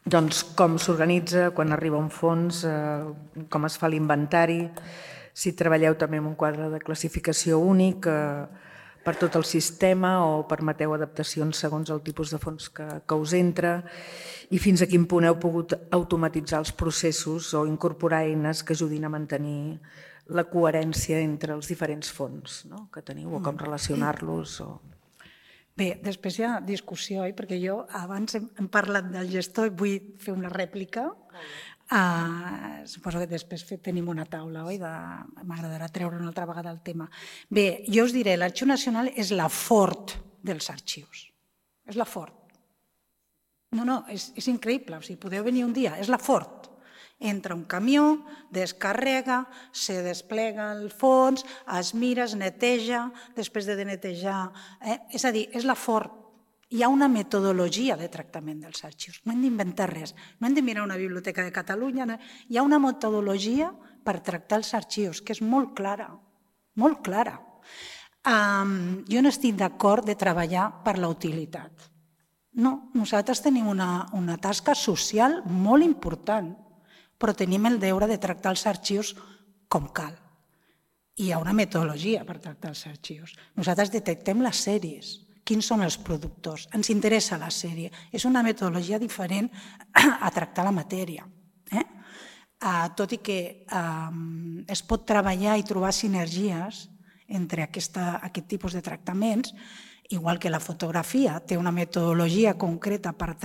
doncs, com s'organitza quan arriba un fons, eh, com es fa l'inventari, si treballeu també amb un quadre de classificació únic eh, per tot el sistema o permeteu adaptacions segons el tipus de fons que, que us entra, i fins a quin punt heu pogut automatitzar els processos o incorporar eines que ajudin a mantenir la coherència entre els diferents fons, no?, que teniu, o com relacionar-los. O... Bé, després hi ha discussió, eh? Perquè jo abans hem, hem parlat del gestor i vull fer una rèplica. Uh, suposo que després tenim una taula, oi? De... M'agradarà treure una altra vegada el tema. Bé, jo us diré, l'Arxiu Nacional és la fort dels arxius. És la fort. No, no, és, és increïble. O sigui, podeu venir un dia, és la fort. Entra un camió, descarrega, se desplega el fons, es mira, es neteja, després de netejar... Eh? És a dir, és la fort. Hi ha una metodologia de tractament dels arxius. No hem d'inventar res. No hem de mirar una biblioteca de Catalunya. No. Hi ha una metodologia per tractar els arxius, que és molt clara. Molt clara. Um, jo no estic d'acord de treballar per la utilitat. No, nosaltres tenim una, una tasca social molt important, però tenim el deure de tractar els arxius com cal. Hi ha una metodologia per tractar els arxius. Nosaltres detectem les sèries, quins són els productors, ens interessa la sèrie. És una metodologia diferent a tractar la matèria. Eh? Uh, tot i que uh, es pot treballar i trobar sinergies entre aquesta, aquest tipus de tractaments, igual que la fotografia té una metodologia concreta per,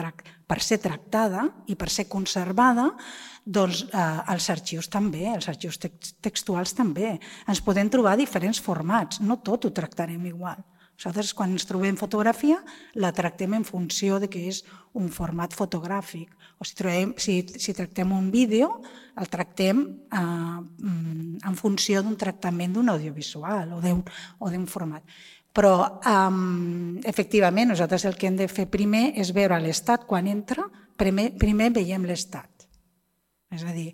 per ser tractada i per ser conservada, doncs eh, els arxius també, els arxius textuals també. Ens podem trobar diferents formats, no tot ho tractarem igual. Nosaltres, quan ens trobem fotografia, la tractem en funció de que és un format fotogràfic. O si, trobem, si, si tractem un vídeo, el tractem eh, en funció d'un tractament d'un audiovisual o d'un format. Però, um, efectivament, nosaltres el que hem de fer primer és veure l'estat quan entra, primer, primer veiem l'estat. És a dir,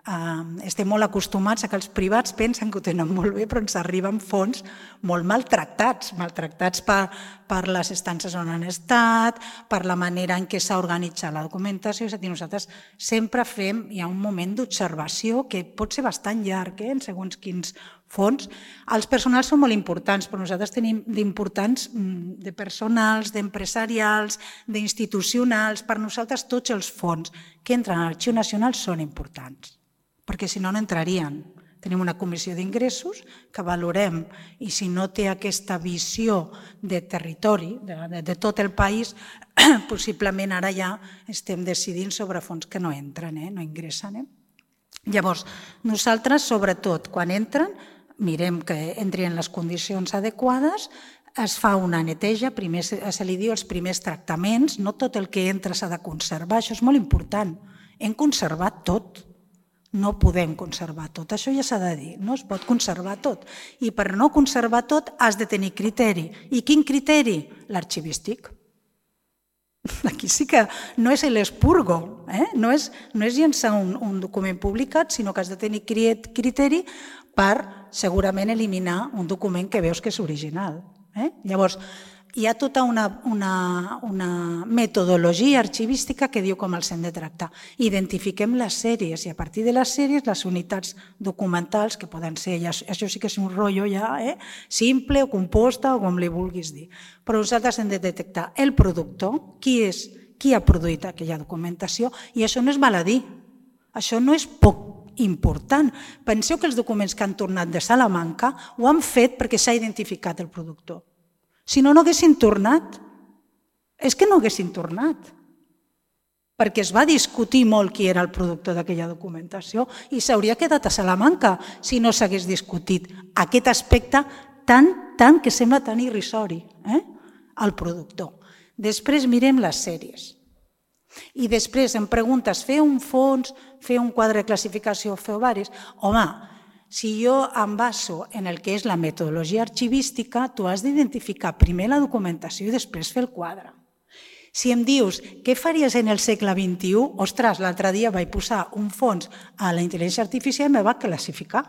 um, estem molt acostumats a que els privats pensen que ho tenen molt bé, però ens arriben fons molt maltractats, maltractats per, per les estances on han estat, per la manera en què s'ha organitzat la documentació. És a dir, nosaltres sempre fem, hi ha un moment d'observació que pot ser bastant llarg, eh, en segons quins fons. Els personals són molt importants, però nosaltres tenim d'importants de personals, d'empresarials, d'institucionals. Per nosaltres tots els fons que entren a l'Arxiu Nacional són importants, perquè si no, no entrarien. Tenim una comissió d'ingressos que valorem i si no té aquesta visió de territori, de, de, de tot el país, possiblement ara ja estem decidint sobre fons que no entren, eh? no ingressen. Eh? Llavors, nosaltres, sobretot, quan entren, mirem que entrin en les condicions adequades, es fa una neteja, primer se li diu els primers tractaments, no tot el que entra s'ha de conservar, això és molt important. Hem conservat tot, no podem conservar tot, això ja s'ha de dir, no es pot conservar tot. I per no conservar tot has de tenir criteri. I quin criteri? L'arxivístic. Aquí sí que no és l'expurgo, eh? no, és, no és llençar un, un document publicat, sinó que has de tenir criteri per segurament eliminar un document que veus que és original. Eh? Llavors, hi ha tota una, una, una metodologia arxivística que diu com els hem de tractar. Identifiquem les sèries i a partir de les sèries les unitats documentals que poden ser, ja, això sí que és un rotllo ja, eh? simple o composta o com li vulguis dir. Però nosaltres hem de detectar el productor, qui, és, qui ha produït aquella documentació i això no és baladí, això no és poc important. Penseu que els documents que han tornat de Salamanca ho han fet perquè s'ha identificat el productor. Si no, no haguessin tornat. És que no haguessin tornat. Perquè es va discutir molt qui era el productor d'aquella documentació i s'hauria quedat a Salamanca si no s'hagués discutit aquest aspecte tan, tan que sembla tan irrisori, eh? el productor. Després mirem les sèries. I després em preguntes, fer un fons, fer un quadre de classificació, fer ovaris? Home, si jo em baso en el que és la metodologia arxivística, tu has d'identificar primer la documentació i després fer el quadre. Si em dius, què faries en el segle vint-i-u? Ostres, l'altre dia vaig posar un fons a la intel·ligència artificial i me va classificar.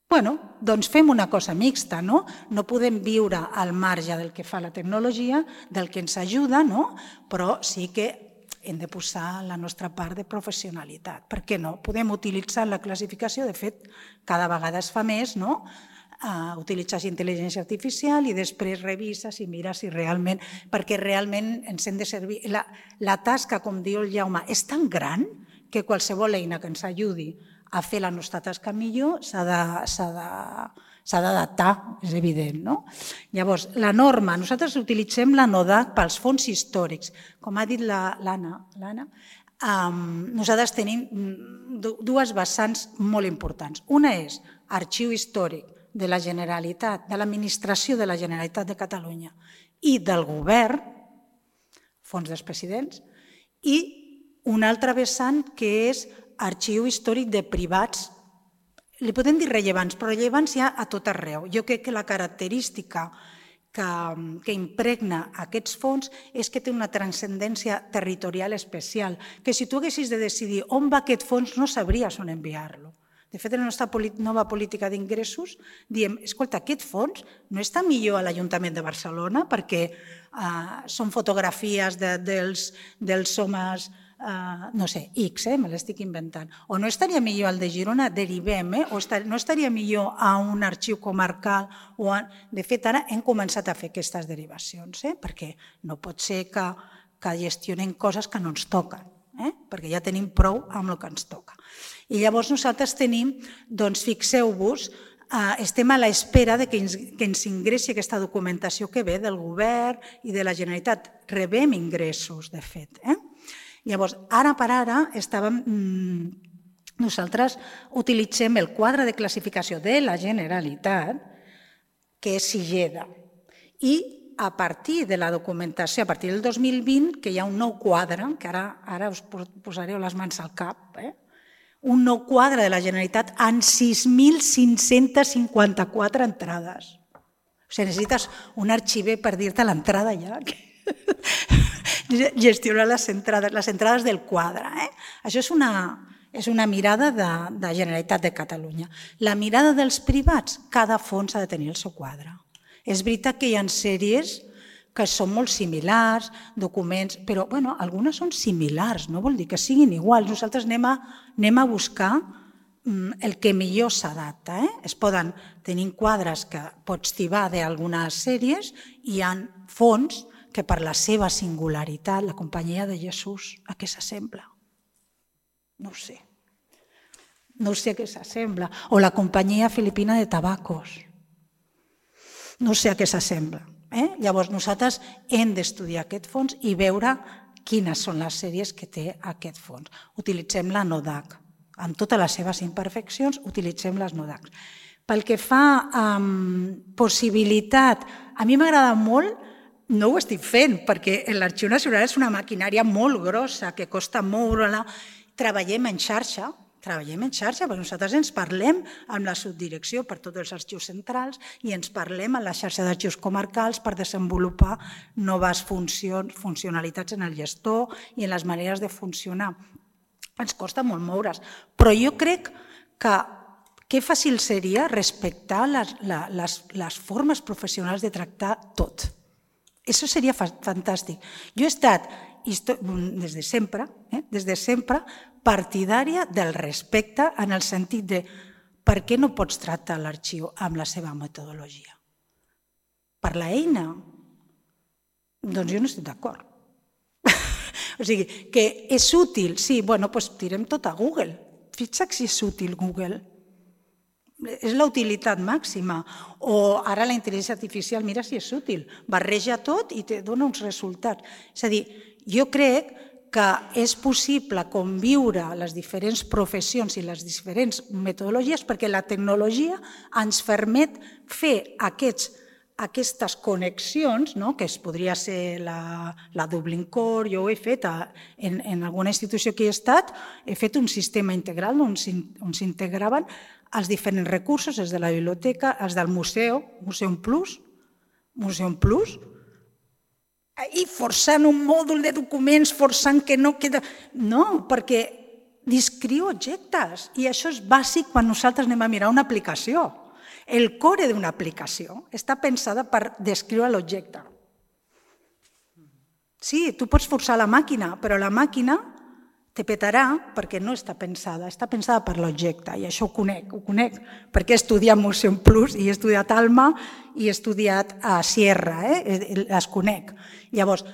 Bueno, doncs fem una cosa mixta, no? No podem viure al marge del que fa la tecnologia, del que ens ajuda, no? Però sí que hem de posar la nostra part de professionalitat. Per què no? Podem utilitzar la classificació, de fet, cada vegada es fa més, no? Uh, utilitzes intel·ligència artificial i després revises i mires si realment, perquè realment ens hem de servir. La, la tasca, com diu el Jaume, és tan gran que qualsevol eina que ens ajudi a fer la nostra tasca millor s'ha de, s'ha de, s'ha d'adaptar, és evident, no? Llavors, la norma, nosaltres utilitzem la NODAC pels fons històrics. Com ha dit l'Anna, l'Anna, um, nosaltres tenim dues vessants molt importants. Una és arxiu històric de la Generalitat, de l'administració de la Generalitat de Catalunya i del govern, fons dels presidents, i una altra vessant que és arxiu històric de privats, li podem dir rellevants, però rellevants hi ha a tot arreu. Jo crec que la característica que, que impregna aquests fons és que té una transcendència territorial especial, que si tu haguessis de decidir on va aquest fons no sabries on enviar-lo. De fet, en la nostra nova política d'ingressos diem, escolta, aquest fons no està millor a l'Ajuntament de Barcelona perquè uh, són fotografies de, dels, dels homes, uh, no sé, X, eh, me l'estic inventant. O no estaria millor al de Girona, derivem, eh, o estar, no estaria millor a un arxiu comarcal. O a... De fet, ara hem començat a fer aquestes derivacions, eh, perquè no pot ser que, que gestionem coses que no ens toquen, eh, perquè ja tenim prou amb el que ens toca. I llavors nosaltres tenim, doncs fixeu-vos, estem a l'espera que ens ingressi aquesta documentació que ve del govern i de la Generalitat. Rebem ingressos, de fet. Llavors, ara per ara, estàvem, nosaltres utilitzem el quadre de classificació de la Generalitat, que és SIGEDA, i a partir de la documentació, a partir del dos mil vint, que hi ha un nou quadre, que ara us posareu les mans al cap, eh? un nou quadre de la Generalitat amb sis mil cinc-cents cinquanta-quatre entrades. O sigui, necessites un arxiver per dir-te l'entrada ja. Gestionar les entrades, les entrades del quadre. Eh? Això és una, és una mirada de, de Generalitat de Catalunya. La mirada dels privats, cada fons ha de tenir el seu quadre. És veritat que hi ha sèries que són molt similars, documents, però bueno, algunes són similars, no vol dir que siguin iguals. Nosaltres anem a, anem a buscar el que millor s'adapta. Eh? Es poden tenir quadres que pots tibar d'algunes sèries i hi ha fons que per la seva singularitat, la Companyia de Jesús, a què s'assembla? No ho sé. No sé a què s'assembla. O la Companyia Filipina de Tabacos. No sé a què s'assembla. Eh? Llavors nosaltres hem d'estudiar aquest fons i veure quines són les sèries que té aquest fons. Utilitzem la NODAC. Amb totes les seves imperfeccions, utilitzem les NODAC. Pel que fa a um, possibilitat, a mi m'agrada molt, no ho estic fent, perquè l'Arxiu Nacional és una maquinària molt grossa, que costa moure-la. Treballem en xarxa, Treballem en xarxa, perquè nosaltres ens parlem amb la subdirecció per tots els arxius centrals i ens parlem amb la xarxa d'arxius comarcals per desenvolupar noves funcions, funcionalitats en el gestor i en les maneres de funcionar. Ens costa molt moure's, però jo crec que que fàcil seria respectar les, les, les formes professionals de tractar tot. Això seria fantàstic. Jo he estat, des de sempre, eh, des de sempre, partidària del respecte en el sentit de per què no pots tractar l'arxiu amb la seva metodologia? Per l'eina? Doncs jo no estic d'acord. O sigui, que és útil, sí, bueno, doncs tirem tot a Google. Fixa't si és útil Google. És la utilitat màxima. O ara la intel·ligència artificial, mira si és útil. Barreja tot i te dona uns resultats. És a dir, jo crec que és possible conviure les diferents professions i les diferents metodologies perquè la tecnologia ens permet fer aquests, aquestes connexions, no? Que es podria ser la, la Dublin Core, jo ho he fet a, en, en alguna institució que he estat, he fet un sistema integral on s'integraven els diferents recursos, els de la biblioteca, els del museu, Museum Plus, Museum Plus, i forçant un mòdul de documents, forçant que no queda... No, perquè descriu objectes i això és bàsic quan nosaltres anem a mirar una aplicació. El core d'una aplicació està pensada per descriure l'objecte. Sí, tu pots forçar la màquina, però la màquina te petarà perquè no està pensada, està pensada per l'objecte, i això ho conec, ho conec, perquè he estudiat Motion Plus i he estudiat Alma i he estudiat a Sierra, eh? Les conec. Llavors,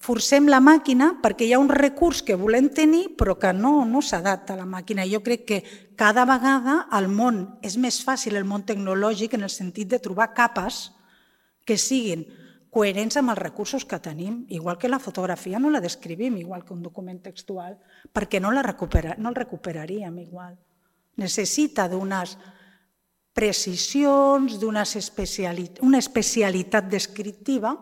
forcem la màquina perquè hi ha un recurs que volem tenir però que no, no s'adapta a la màquina. Jo crec que cada vegada el món és més fàcil, el món tecnològic, en el sentit de trobar capes que siguin coherents amb els recursos que tenim, igual que la fotografia no la descrivim igual que un document textual, perquè no, la recupera, no el recuperaríem igual. Necessita d'unes precisions, d'una especialitat, una especialitat descriptiva,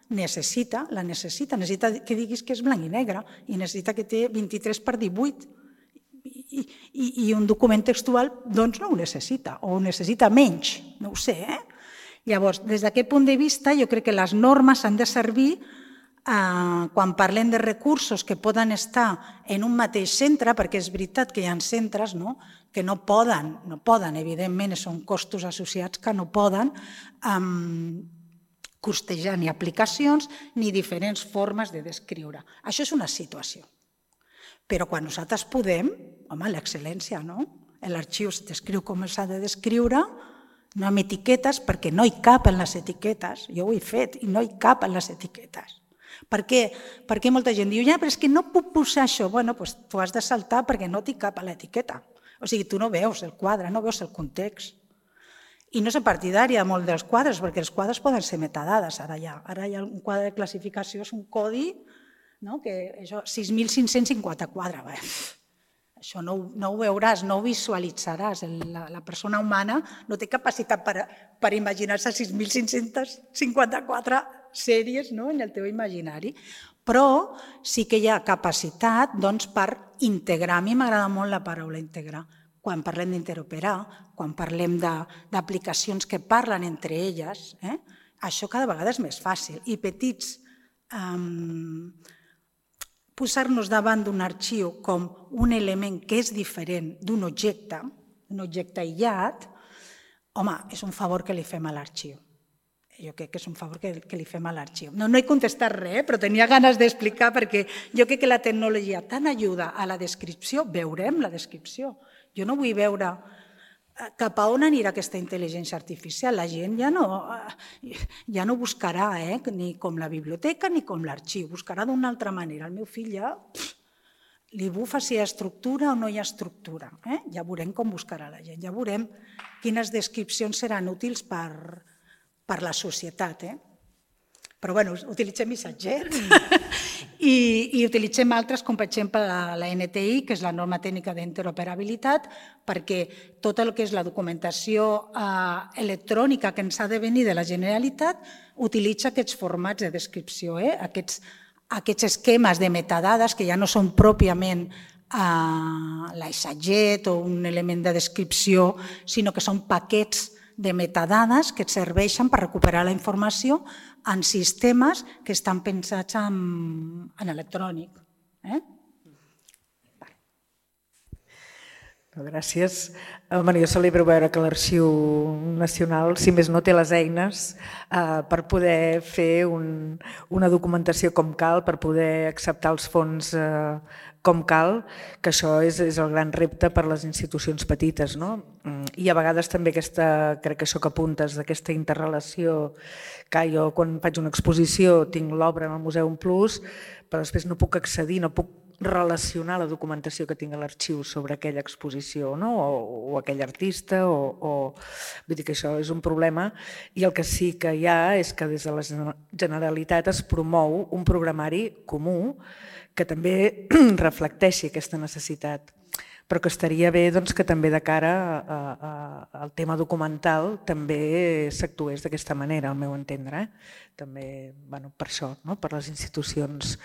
necessita, la necessita, necessita que diguis que és blanc i negre i necessita que té vint-i-tres per divuit i, i, i un document textual doncs no ho necessita o ho necessita menys, no ho sé, eh? Llavors, des d'aquest punt de vista, jo crec que les normes han de servir eh, quan parlem de recursos que poden estar en un mateix centre, perquè és veritat que hi ha centres no? que no poden, no poden, evidentment, són costos associats que no poden eh, costejar ni aplicacions ni diferents formes de descriure. Això és una situació. Però quan nosaltres podem, home, l'excel·lència, no? L'arxiu es descriu com s'ha de descriure, no amb etiquetes, perquè no hi cap en les etiquetes. Jo ho he fet i no hi cap en les etiquetes. Per què? Perquè molta gent diu, ja, però és que no puc posar això. Bueno, doncs tu has de saltar perquè no t'hi cap a l'etiqueta. O sigui, tu no veus el quadre, no veus el context. I no és partidària molt dels quadres, perquè els quadres poden ser metadades. Ara hi ha, ara hi ha un quadre de classificació, és un codi, no? Que això, sis mil cinc-cents cinquanta-quatre. Bé, això no, no ho veuràs, no ho visualitzaràs. La, la persona humana no té capacitat per, per imaginar-se sis mil cinc-cents cinquanta-quatre sèries no? en el teu imaginari. Però sí que hi ha capacitat doncs, per integrar. A mi m'agrada molt la paraula integrar. Quan parlem d'interoperar, quan parlem d'aplicacions que parlen entre elles, eh? això cada vegada és més fàcil. I petits... Um, posar-nos davant d'un arxiu com un element que és diferent d'un objecte, un objecte aïllat, home, és un favor que li fem a l'arxiu. Jo crec que és un favor que, que li fem a l'arxiu. No, no he contestat res, però tenia ganes d'explicar perquè jo crec que la tecnologia tant ajuda a la descripció, veurem la descripció. Jo no vull veure cap a on anirà aquesta intel·ligència artificial. La gent ja no, ja no buscarà eh, ni com la biblioteca ni com l'arxiu, buscarà d'una altra manera. El meu fill ja pff, li bufa si hi ha estructura o no hi ha estructura. Eh? Ja veurem com buscarà la gent, ja veurem quines descripcions seran útils per, per la societat. Eh? Però bueno, utilitzem missatgets i, i utilitzem altres, com per exemple la N T I, que és la norma tècnica d'interoperabilitat, perquè tot el que és la documentació eh, electrònica que ens ha de venir de la Generalitat utilitza aquests formats de descripció, eh? aquests, aquests esquemes de metadades que ja no són pròpiament eh, l'aissatget o un element de descripció, sinó que són paquets de metadades que et serveixen per recuperar la informació en sistemes que estan pensats en, en electrònic. Eh? Gràcies. Bueno, jo celebro veure que l'Arxiu Nacional, si més no, té les eines eh, per poder fer un, una documentació com cal, per poder acceptar els fons eh, com cal, que això és, és el gran repte per a les institucions petites. No? I a vegades també aquesta, crec que això que apuntes, d'aquesta interrelació, que jo quan faig una exposició tinc l'obra en el Museu Plus, però després no puc accedir, no puc relacionar la documentació que tinc a l'arxiu sobre aquella exposició no? o, o aquell artista, o, o... vull dir que això és un problema, i el que sí que hi ha és que des de la Generalitat es promou un programari comú que també reflecteixi aquesta necessitat, però que estaria bé doncs, que també de cara a, a, al tema documental també s'actués d'aquesta manera, al meu entendre. Eh? També bueno, per això, no? per les institucions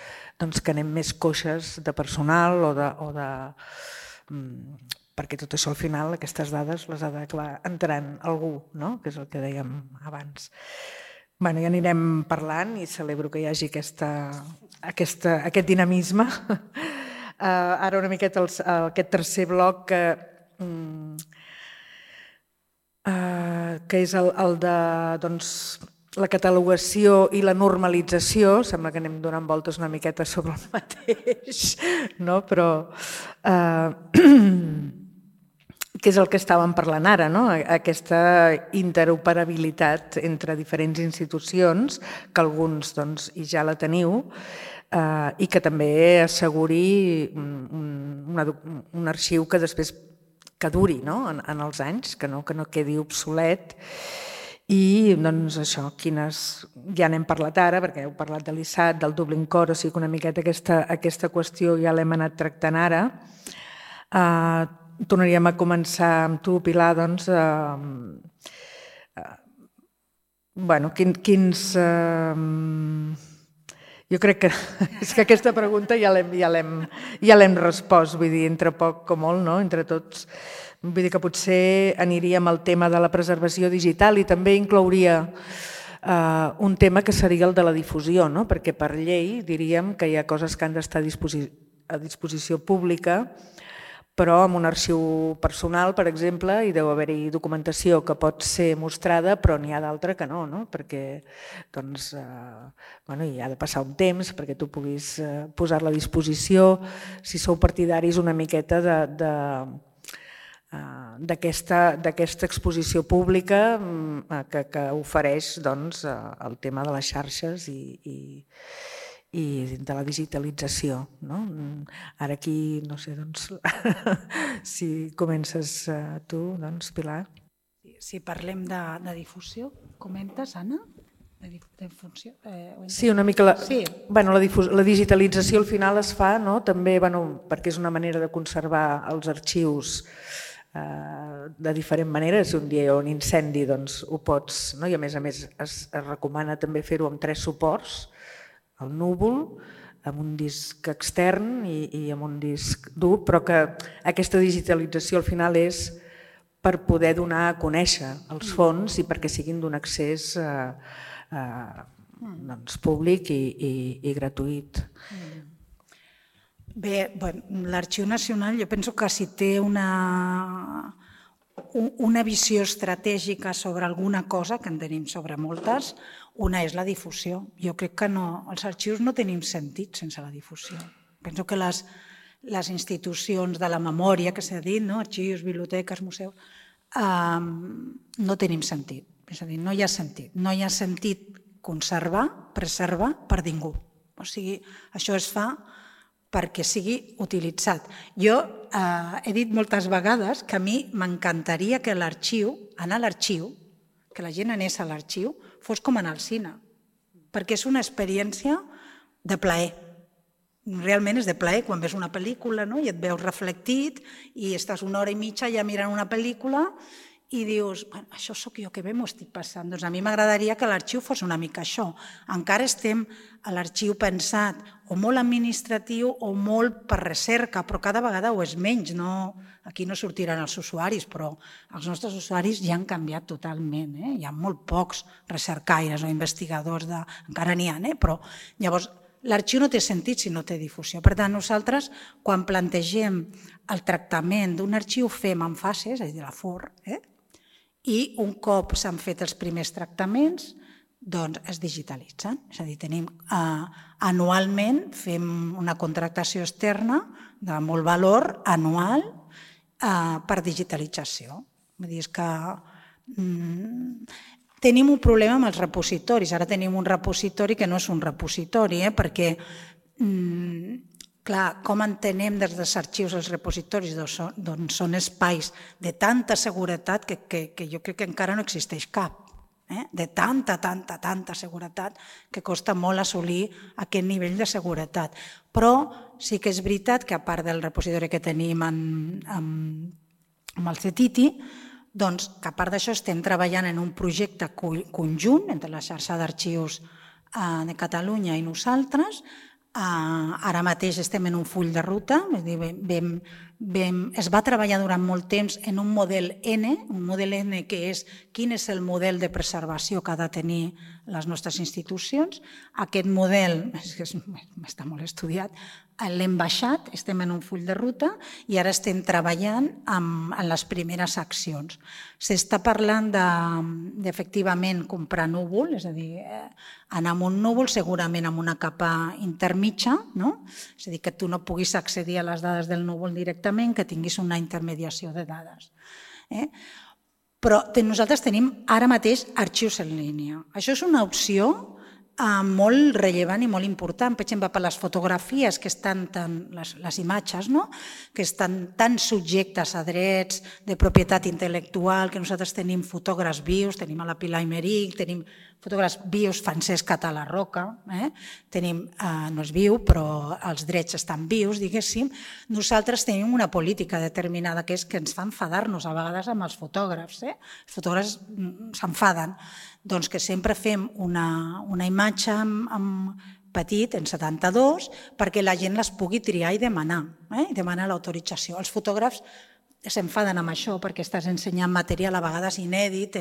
doncs, que anem més coixes de personal o de... O de perquè tot això al final, aquestes dades les ha d'acabar entrant algú, no? que és el que dèiem abans. Bueno, ja anirem parlant i celebro que hi hagi aquesta, aquesta, aquest dinamisme. Uh, ara una miqueta el, aquest tercer bloc que, um, uh, que és el, el de doncs, la catalogació i la normalització, sembla que anem donant voltes una miqueta sobre el mateix, no? Però eh, que és el que estàvem parlant ara, no? Aquesta interoperabilitat entre diferents institucions, que alguns doncs, i ja la teniu, eh, i que també asseguri un, un, un arxiu que després que duri, no? en, en els anys, que no, que no quedi obsolet. I doncs això, quines, ja n'hem parlat ara, perquè heu parlat de l'I S A T, del Dublin Core, o sigui que una miqueta aquesta, aquesta qüestió ja l'hem anat tractant ara. Uh, tornaríem a començar amb tu, Pilar, doncs, uh, uh, bueno, quin, quins... Uh, jo crec que, és que aquesta pregunta ja l'hem ja l'hem ja l'hem respost, vull dir, entre poc com molt, no? Entre tots. Vull dir que potser aniríem al tema de la preservació digital i també inclouria eh, un tema que seria el de la difusió, no? Perquè per llei diríem que hi ha coses que han d'estar a, disposi a disposició pública, però amb un arxiu personal, per exemple, hi deu haver-hi documentació que pot ser mostrada, però n'hi ha d'altra que no, no? Perquè doncs, eh, bueno, hi ha de passar un temps perquè tu puguis eh, posar-la a disposició, si sou partidaris una miqueta de... de d'aquesta exposició pública que, que ofereix doncs, el tema de les xarxes i, i, i de la digitalització. No? Ara aquí, no sé, doncs, si comences tu, doncs, Pilar. Si parlem de, de difusió, comentes, Anna? De difusió? Eh, sí, una mica la, sí. Bueno, la, la digitalització al final es fa, no? També bueno, perquè és una manera de conservar els arxius de diferent manera. Si un dia hi ha un incendi, doncs ho pots, no? I a més a més es, es recomana també fer-ho amb tres suports, el núvol, amb un disc extern i, i amb un disc dur, però que aquesta digitalització al final és per poder donar a conèixer els fons i perquè siguin d'un accés eh, eh, doncs, públic i, i, i gratuït. Bé, bueno, l'Arxiu Nacional jo penso que si té una, una visió estratègica sobre alguna cosa, que en tenim sobre moltes, una és la difusió. Jo crec que no, els arxius no tenim sentit sense la difusió. Penso que les, les institucions de la memòria, que s'ha dit, no? Arxius, biblioteques, museus, eh, no tenim sentit. És a dir, no hi ha sentit. No hi ha sentit conservar, preservar per ningú. O sigui, això es fa perquè sigui utilitzat. Jo eh, he dit moltes vegades que a mi m'encantaria que l'arxiu, anar a l'arxiu, que la gent anés a l'arxiu, fos com anar al cine, perquè és una experiència de plaer. Realment és de plaer quan ves una pel·lícula, no? I et veus reflectit i estàs una hora i mitja ja mirant una pel·lícula i dius, bueno, això sóc jo que bé m'ho estic passant. Doncs a mi m'agradaria que l'arxiu fos una mica això. Encara estem a l'arxiu pensat o molt administratiu o molt per recerca, però cada vegada ho és menys. No, aquí no sortiran els usuaris, però els nostres usuaris ja han canviat totalment. Eh? Hi ha molt pocs recercaires o investigadors, de... encara n'hi ha, eh? Però llavors l'arxiu no té sentit si no té difusió. Per tant, nosaltres, quan plantegem el tractament d'un arxiu, fem en fases, és a dir, la F O R, eh? I un cop s'han fet els primers tractaments, doncs es digitalitzen. És a dir, tenim eh, anualment, fem una contractació externa de molt valor anual eh, per digitalització. Vull dir, és que mm, tenim un problema amb els repositoris. Ara tenim un repositori que no és un repositori, eh, perquè mm, clar, com entenem des dels arxius els repositoris? Doncs són espais de tanta seguretat que, que, que jo crec que encara no existeix cap. Eh? De tanta, tanta, tanta seguretat que costa molt assolir aquest nivell de seguretat. Però sí que és veritat que a part del repositori que tenim en, en, amb el CETITI, doncs que a part d'això estem treballant en un projecte conjunt entre la xarxa d'arxius de Catalunya i nosaltres. Ara mateix estem en un full de ruta, vam es va treballar durant molt temps en un model N, un model N que és quin és el model de preservació que ha de tenir les nostres institucions. Aquest model, està molt estudiat, l'hem baixat, estem en un full de ruta i ara estem treballant en les primeres accions. S'està parlant d'efectivament comprar núvol, és a dir, anar amb un núvol segurament amb una capa intermitja, és a dir, que tu no puguis accedir a les dades del núvol directament, que tinguis una intermediació de dades. Però nosaltres tenim ara mateix arxius en línia. Això és una opció molt rellevant i molt important, per exemple, per les fotografies que estan tan, les imatges, que estan tan subjectes a drets de propietat intel·lectual, que nosaltres tenim fotògrafs vius, tenim a la Pilar Imeric, tenim fotògrafs vius, Francesc Català Roca, tenim, no és viu, però els drets estan vius, diguéssim. Nosaltres tenim una política determinada que és que ens fa enfadar-nos a vegades amb els fotògrafs. Els fotògrafs s'enfaden. Doncs que sempre fem una imatge petit, en setanta-dos, perquè la gent les pugui triar i demanar, i demanar l'autorització. Els fotògrafs s'enfaden amb això perquè estàs ensenyant material a vegades inèdit,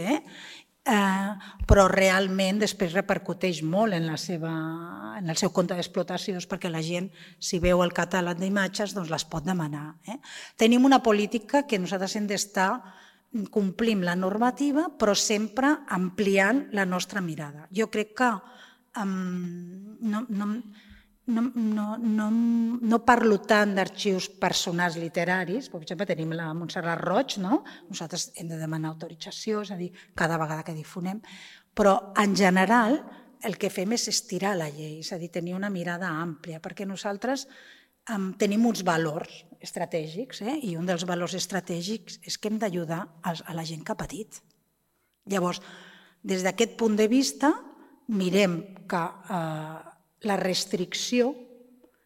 però realment després repercuteix molt en el seu compte d'explotació perquè la gent, si veu el catàleg d'imatges, les pot demanar. Tenim una política que nosaltres hem d'estar complim la normativa, però sempre ampliant la nostra mirada. Jo crec que no parlo tant d'arxius personals literaris, per exemple, tenim la Montserrat Roig, nosaltres hem de demanar autorització, és a dir, cada vegada que difonem, però en general el que fem és estirar la llei, és a dir, tenir una mirada àmplia, perquè nosaltres tenim uns valors estratègics i un dels valors estratègics és que hem d'ajudar a la gent que ha patit. Llavors, des d'aquest punt de vista, mirem que la restricció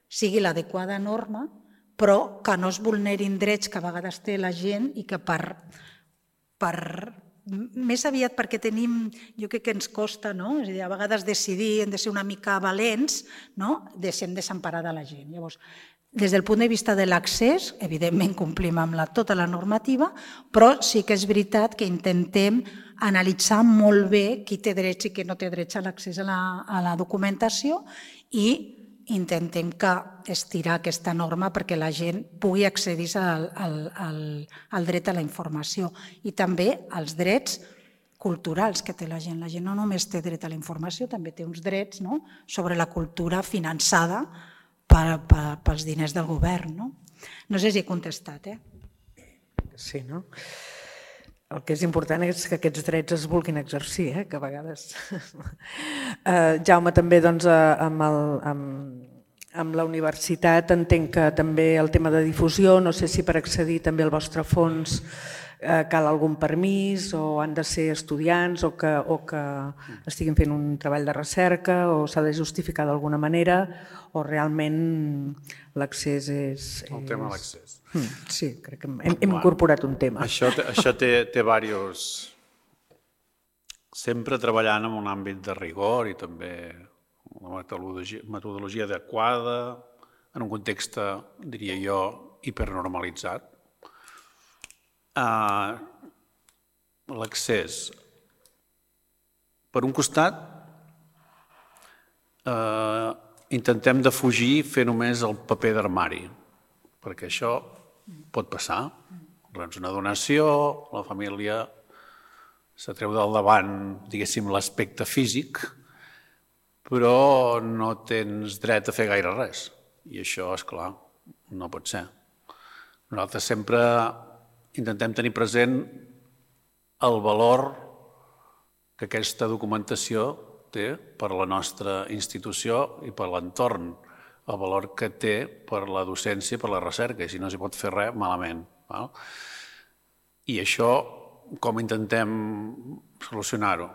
sigui l'adequada norma, però que no es vulnerin drets que a vegades té la gent i que per... més aviat perquè tenim, jo crec que ens costa, és a dir, a vegades decidir, hem de ser una mica valents, deixem desemparada la gent. Llavors, des del punt de vista de l'accés, evidentment complim amb tota la normativa, però sí que és veritat que intentem analitzar molt bé qui té drets i qui no té drets a l'accés a la documentació i intentem estirar aquesta norma perquè la gent pugui accedir al dret a la informació i també als drets culturals que té la gent. La gent no només té dret a la informació, també té uns drets sobre la cultura finançada pels diners del govern. No sé si he contestat. Sí, no? El que és important és que aquests drets es vulguin exercir, que a vegades... Jaume, també amb la universitat entenc que també el tema de difusió, no sé si per accedir també al vostre fons cal algun permís o han de ser estudiants o que estiguin fent un treball de recerca o s'ha de justificar d'alguna manera o realment l'accés és... El tema de l'accés. Sí, crec que hem incorporat un tema. Això té diversos... Sempre treballant en un àmbit de rigor i també una metodologia adequada, en un context, diria jo, hipernormalitzat. L'accés. Per un costat, intentem defugir fer només el paper d'armari, perquè això pot passar. Rens una donació, la família s'atreu del davant, diguéssim, l'aspecte físic, però no tens dret a fer gaire res. I això, esclar, no pot ser. Nosaltres sempre intentem tenir present el valor que aquesta documentació té per la nostra institució i per l'entorn, el valor que té per la docència i per la recerca, i si no s'hi pot fer res, malament. I això, com intentem solucionar-ho?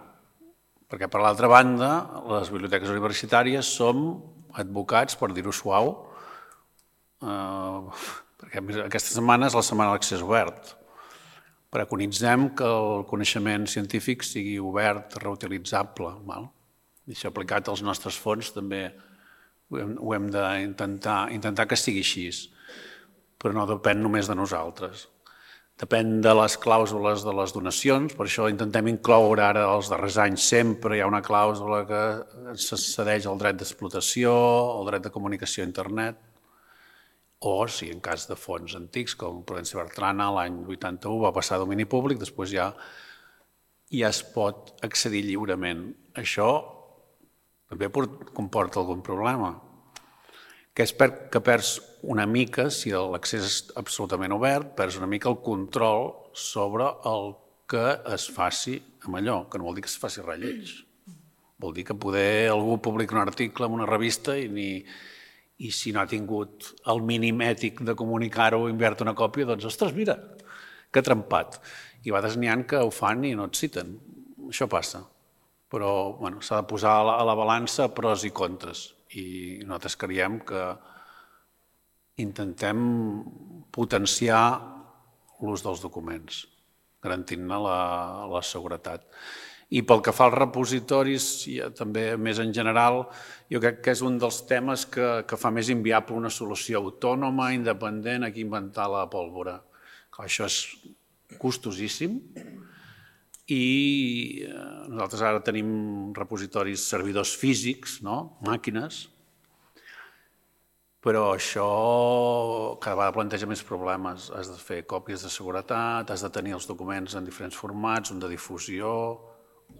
Perquè, per l'altra banda, les biblioteques universitàries som advocats, per dir-ho suau, perquè aquesta setmana és la setmana de l'accés obert. Preconitzem que el coneixement científic sigui obert, reutilitzable. I això aplicat als nostres fons també ho hem d'intentar que sigui així. però no depèn només de nosaltres. Depèn de les clàusules de les donacions, per això intentem incloure ara els darrers anys sempre hi ha una clàusula que se cedeix el dret d'explotació, el dret de comunicació a internet, o si en cas de fons antics, com Prudenci Bertrana l'any vuitanta-u va passar a domini públic, després ja, ja es pot accedir lliurement. Això també comporta algun problema, que és que perds una mica, si l'accés és absolutament obert, perds una mica el control sobre el que es faci amb allò, que no vol dir que es faci res lleig. Vol dir que poder algú publica un article en una revista i, ni, i si no ha tingut el mínim ètic de comunicar-ho i enviar-te una còpia, doncs, ostres, mira, que trempat. I a vegades n'hi ha que ho fan i no et citen. Això passa. Però bueno, s'ha de posar a la, a la balança pros i contres. I nosaltres creiem que intentem potenciar l'ús dels documents, garantint-ne la, la seguretat. I pel que fa als repositoris, també més en general, jo crec que és un dels temes que, que fa més inviable una solució autònoma, independent, aquí inventar la pólvora. Això és costosíssim i nosaltres ara tenim repositoris, servidors físics, no? Màquines, però això cada vegada planteja més problemes. Has de fer còpies de seguretat, has de tenir els documents en diferents formats, un de difusió,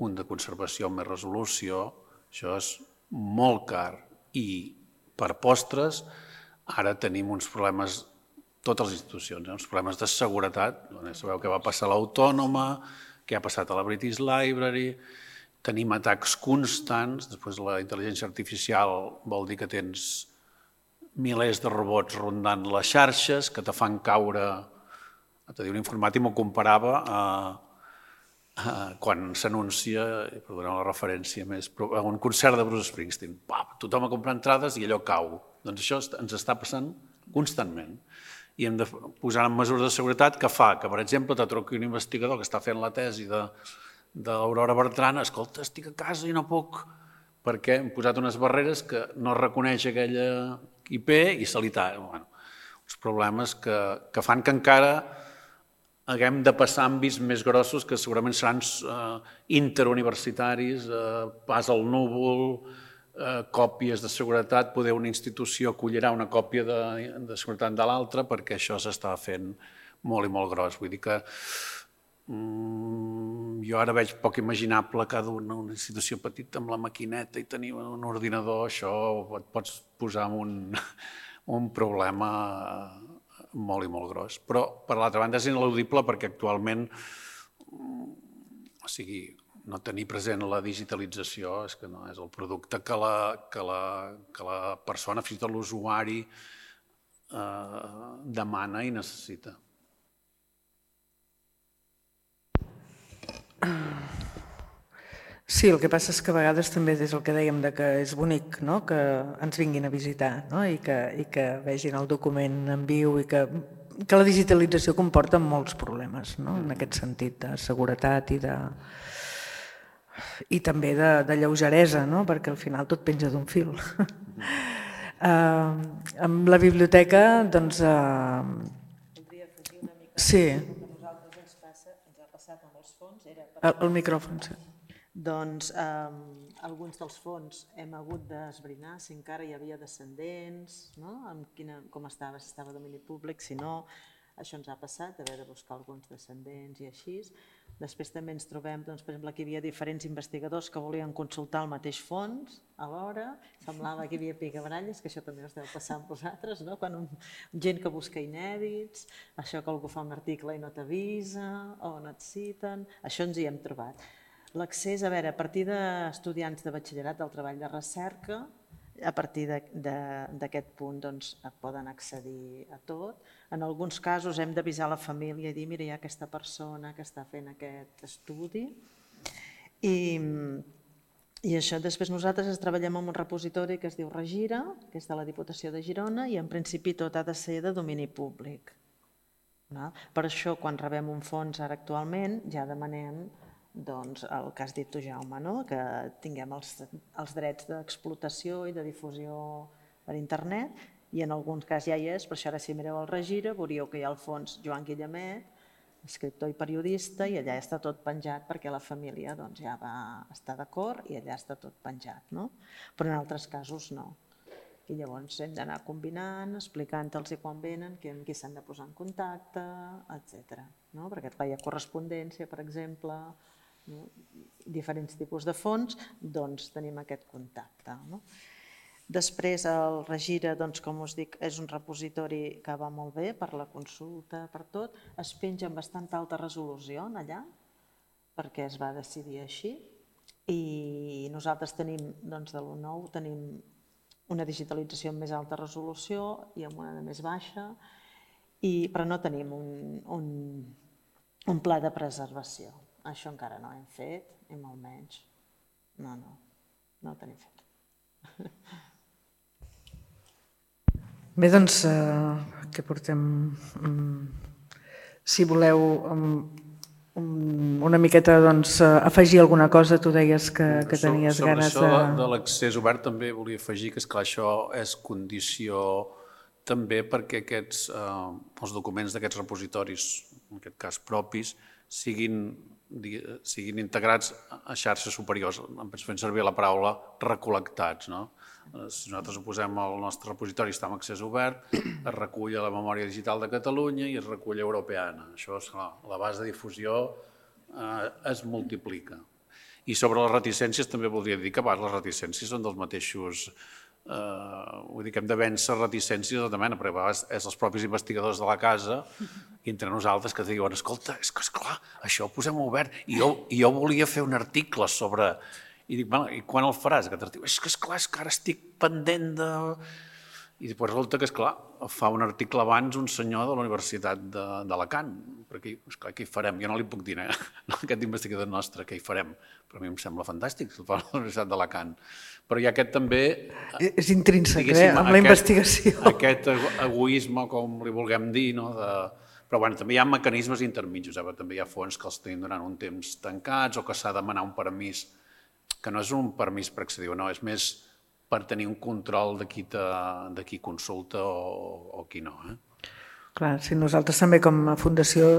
un de conservació amb més resolució. Això és molt car i per postres ara tenim uns problemes, totes les institucions, uns problemes de seguretat. Sabeu què va passar a l'Autònoma, què ha passat a la British Library, tenim atacs constants, després la intel·ligència artificial vol dir que tens milers de robots rondant les xarxes que te fan caure, te diu un informàtic, m'ho comparava a, a quan s'anuncia, perdoneu la referència més, a un concert de Bruce Springsteen, pap, tothom a comprar entrades i allò cau. Doncs això ens està passant constantment. I hem de posar en mesures de seguretat que fa que, per exemple, te truqui un investigador que està fent la tesi d'Aurora Bertrana, escolta, estic a casa i no puc, perquè hem posat unes barreres que no reconeix aquella I P i se li talla. Bueno, uns problemes que, que fan que encara haguem de passar àmbits més grossos que segurament seran eh, interuniversitaris, eh, pas al núvol, Eh, còpies de seguretat, poder una institució acollirà una còpia de, de seguretat de l'altra perquè això s'està fent molt i molt gros. Vull dir que mm, jo ara veig poc imaginable cada una, una institució petita amb la maquineta i tenir un ordinador, això et pots posar en un, un problema molt i molt gros. Però, per l'altra banda, és ineludible perquè actualment, o sigui, no tenir present la digitalització és que no és el producte que la, que la, que la persona, fins i tot l'usuari, eh, demana i necessita. Sí, el que passa és que a vegades també és el que dèiem de que és bonic, no? Que ens vinguin a visitar, no? I, que, i que vegin el document en viu i que, que la digitalització comporta molts problemes, no? En aquest sentit de seguretat i de... i també de, de lleugeresa, no? Perquè al final tot penja d'un fil. uh, amb la biblioteca, doncs... Uh... Voldria afegir una mica... Sí. El que a nosaltres ens, passa, ens ha passat amb els fons era... El, el micròfon, sí. Doncs um, alguns dels fons hem hagut d'esbrinar si encara hi havia descendents, no? Amb quina, com estava, si estava a domini públic, si no... Això ens ha passat, d'haver de buscar alguns descendents i així. Després també ens trobem, doncs, per exemple, que hi havia diferents investigadors que volien consultar el mateix fons alhora. Semblava que hi havia picabaralles, que això també us deu passar amb vosaltres, no? Quan un, gent que busca inèdits, això que algú fa un article i no t'avisa, o no et citen, això ens hi hem trobat. L'accés, a veure, a partir d'estudiants de batxillerat del treball de recerca, a partir d'aquest punt doncs, poden accedir a tot. En alguns casos hem d'avisar la família i dir mira, hi ha aquesta persona que està fent aquest estudi. I, i això, després nosaltres treballem en un repositori que es diu Regira, que és de la Diputació de Girona, i en principi tot ha de ser de domini públic. Per això, quan rebem un fons ara actualment, ja demanem doncs, el que has dit tu, Jaume, no? Que tinguem els, els drets d'explotació i de difusió per internet i en alguns cas ja hi és, per això ara si mireu el regira veuríeu que hi ha al fons Joan Guillemet, escriptor i periodista, i allà està tot penjat perquè la família doncs, ja va estar d'acord i allà està tot penjat, no? Però en altres casos no. I llavors hem d'anar combinant, explicant-los quan venen, amb qui s'han de posar en contacte, etcètera. No? Perquè clar, hi ha correspondència, per exemple, no? Diferents tipus de fons, doncs tenim aquest contacte. No? Després el Regira, doncs, com us dic, és un repositori que va molt bé per la consulta, per tot. Es penja amb bastanta alta resolució allà, perquè es va decidir així. I nosaltres tenim, doncs, de l'u nou, tenim una digitalització amb més alta resolució i amb una de més baixa, i, però no tenim un, un, un pla de preservació. Això encara no hem fet, i molt menys. No, no, no ho tenim fet. Bé, doncs, eh, què portem? Si voleu una miqueta doncs, afegir alguna cosa, tu deies que, que tenies sobre ganes de... Sobre això de l'accés obert també volia afegir que, esclar, això és condició també perquè aquests, eh, els documents d'aquests repositoris, en aquest cas propis, siguin, siguin integrats a xarxes superiors. Ens fem servir la paraula recol·lectats, no? Si nosaltres ho posem al nostre repositori, està amb accés obert, es recull a la memòria digital de Catalunya i es recull a Europeana. Això, esclar, la base de difusió eh, es multiplica. I sobre les reticències també voldria dir que a vegades les reticències són dels mateixos... Eh, vull dir que hem de vèncer reticències de tota mena, perquè a vegades és els propis investigadors de la casa i entre nosaltres que diuen, escolta, és que esclar, això ho posem obert i jo, i jo volia fer un article sobre... I dic, bueno, i quan el faràs, aquest article? És que esclar, és que ara estic pendent de... I després resulta que, esclar, fa un article abans un senyor de la Universitat d'Alacant, perquè, esclar, què hi farem? Jo no li puc dir, eh? Aquest investigador nostre, què hi farem? Però a mi em sembla fantàstic, el fa a la Universitat d'Alacant. Però hi ha aquest també... És intrínsec, eh, amb la investigació. Aquest egoisme, com li vulguem dir, no?, de... Però bueno, també hi ha mecanismes intermitjos, eh? També hi ha fons que els tenim durant un temps tancats o que s'ha de demanar un permís, que no és un permís per accedir o no, és més per tenir un control de qui, te, de qui consulta o, o qui no. Eh? Clar, si nosaltres també com a fundació,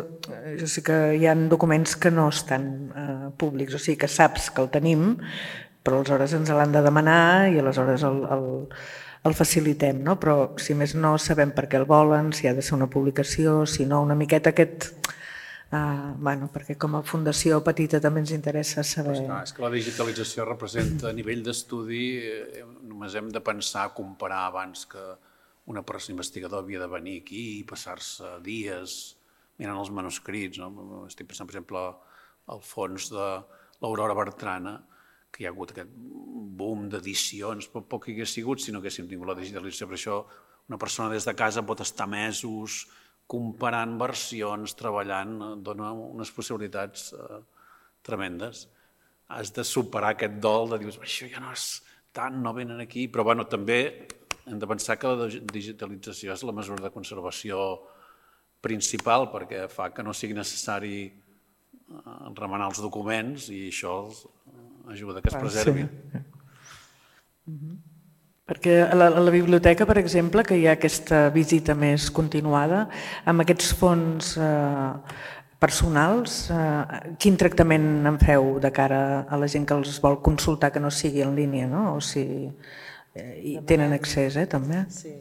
jo sé que hi ha documents que no estan eh, públics, o sigui que saps que el tenim, però aleshores ens l'han de demanar i aleshores el, el, el facilitem, no? Però si més no sabem per què el volen, si ha de ser una publicació, si no, una miqueta aquest... Uh, bueno, perquè com a fundació petita també ens interessa saber... Pues no, és que la digitalització representa a nivell d'estudi, eh, només hem de pensar, comparar abans que una persona investigador havia de venir aquí i passar-se dies mirant els manuscrits. No? Estic pensant, per exemple, al fons de l'Aurora Bertrana, que hi ha hagut aquest boom d'edicions, però poc hi hagués sigut si no haguéssim tingut la digitalització. Per això una persona des de casa pot estar mesos comparant versions, treballant, dona unes possibilitats eh, tremendes. Has de superar aquest dol de dir, això ja no és tant, no venen aquí, però bueno, també hem de pensar que la digitalització és la mesura de conservació principal perquè fa que no sigui necessari eh, remenar els documents i això ajuda que es preservin. Sí. Mm-hmm. Perquè a la, a la biblioteca, per exemple, que hi ha aquesta visita més continuada, amb aquests fons eh, personals, eh, quin tractament en feu de cara a la gent que els vol consultar que no sigui en línia, no? O si eh, hi tenen accés, eh, també? Sí,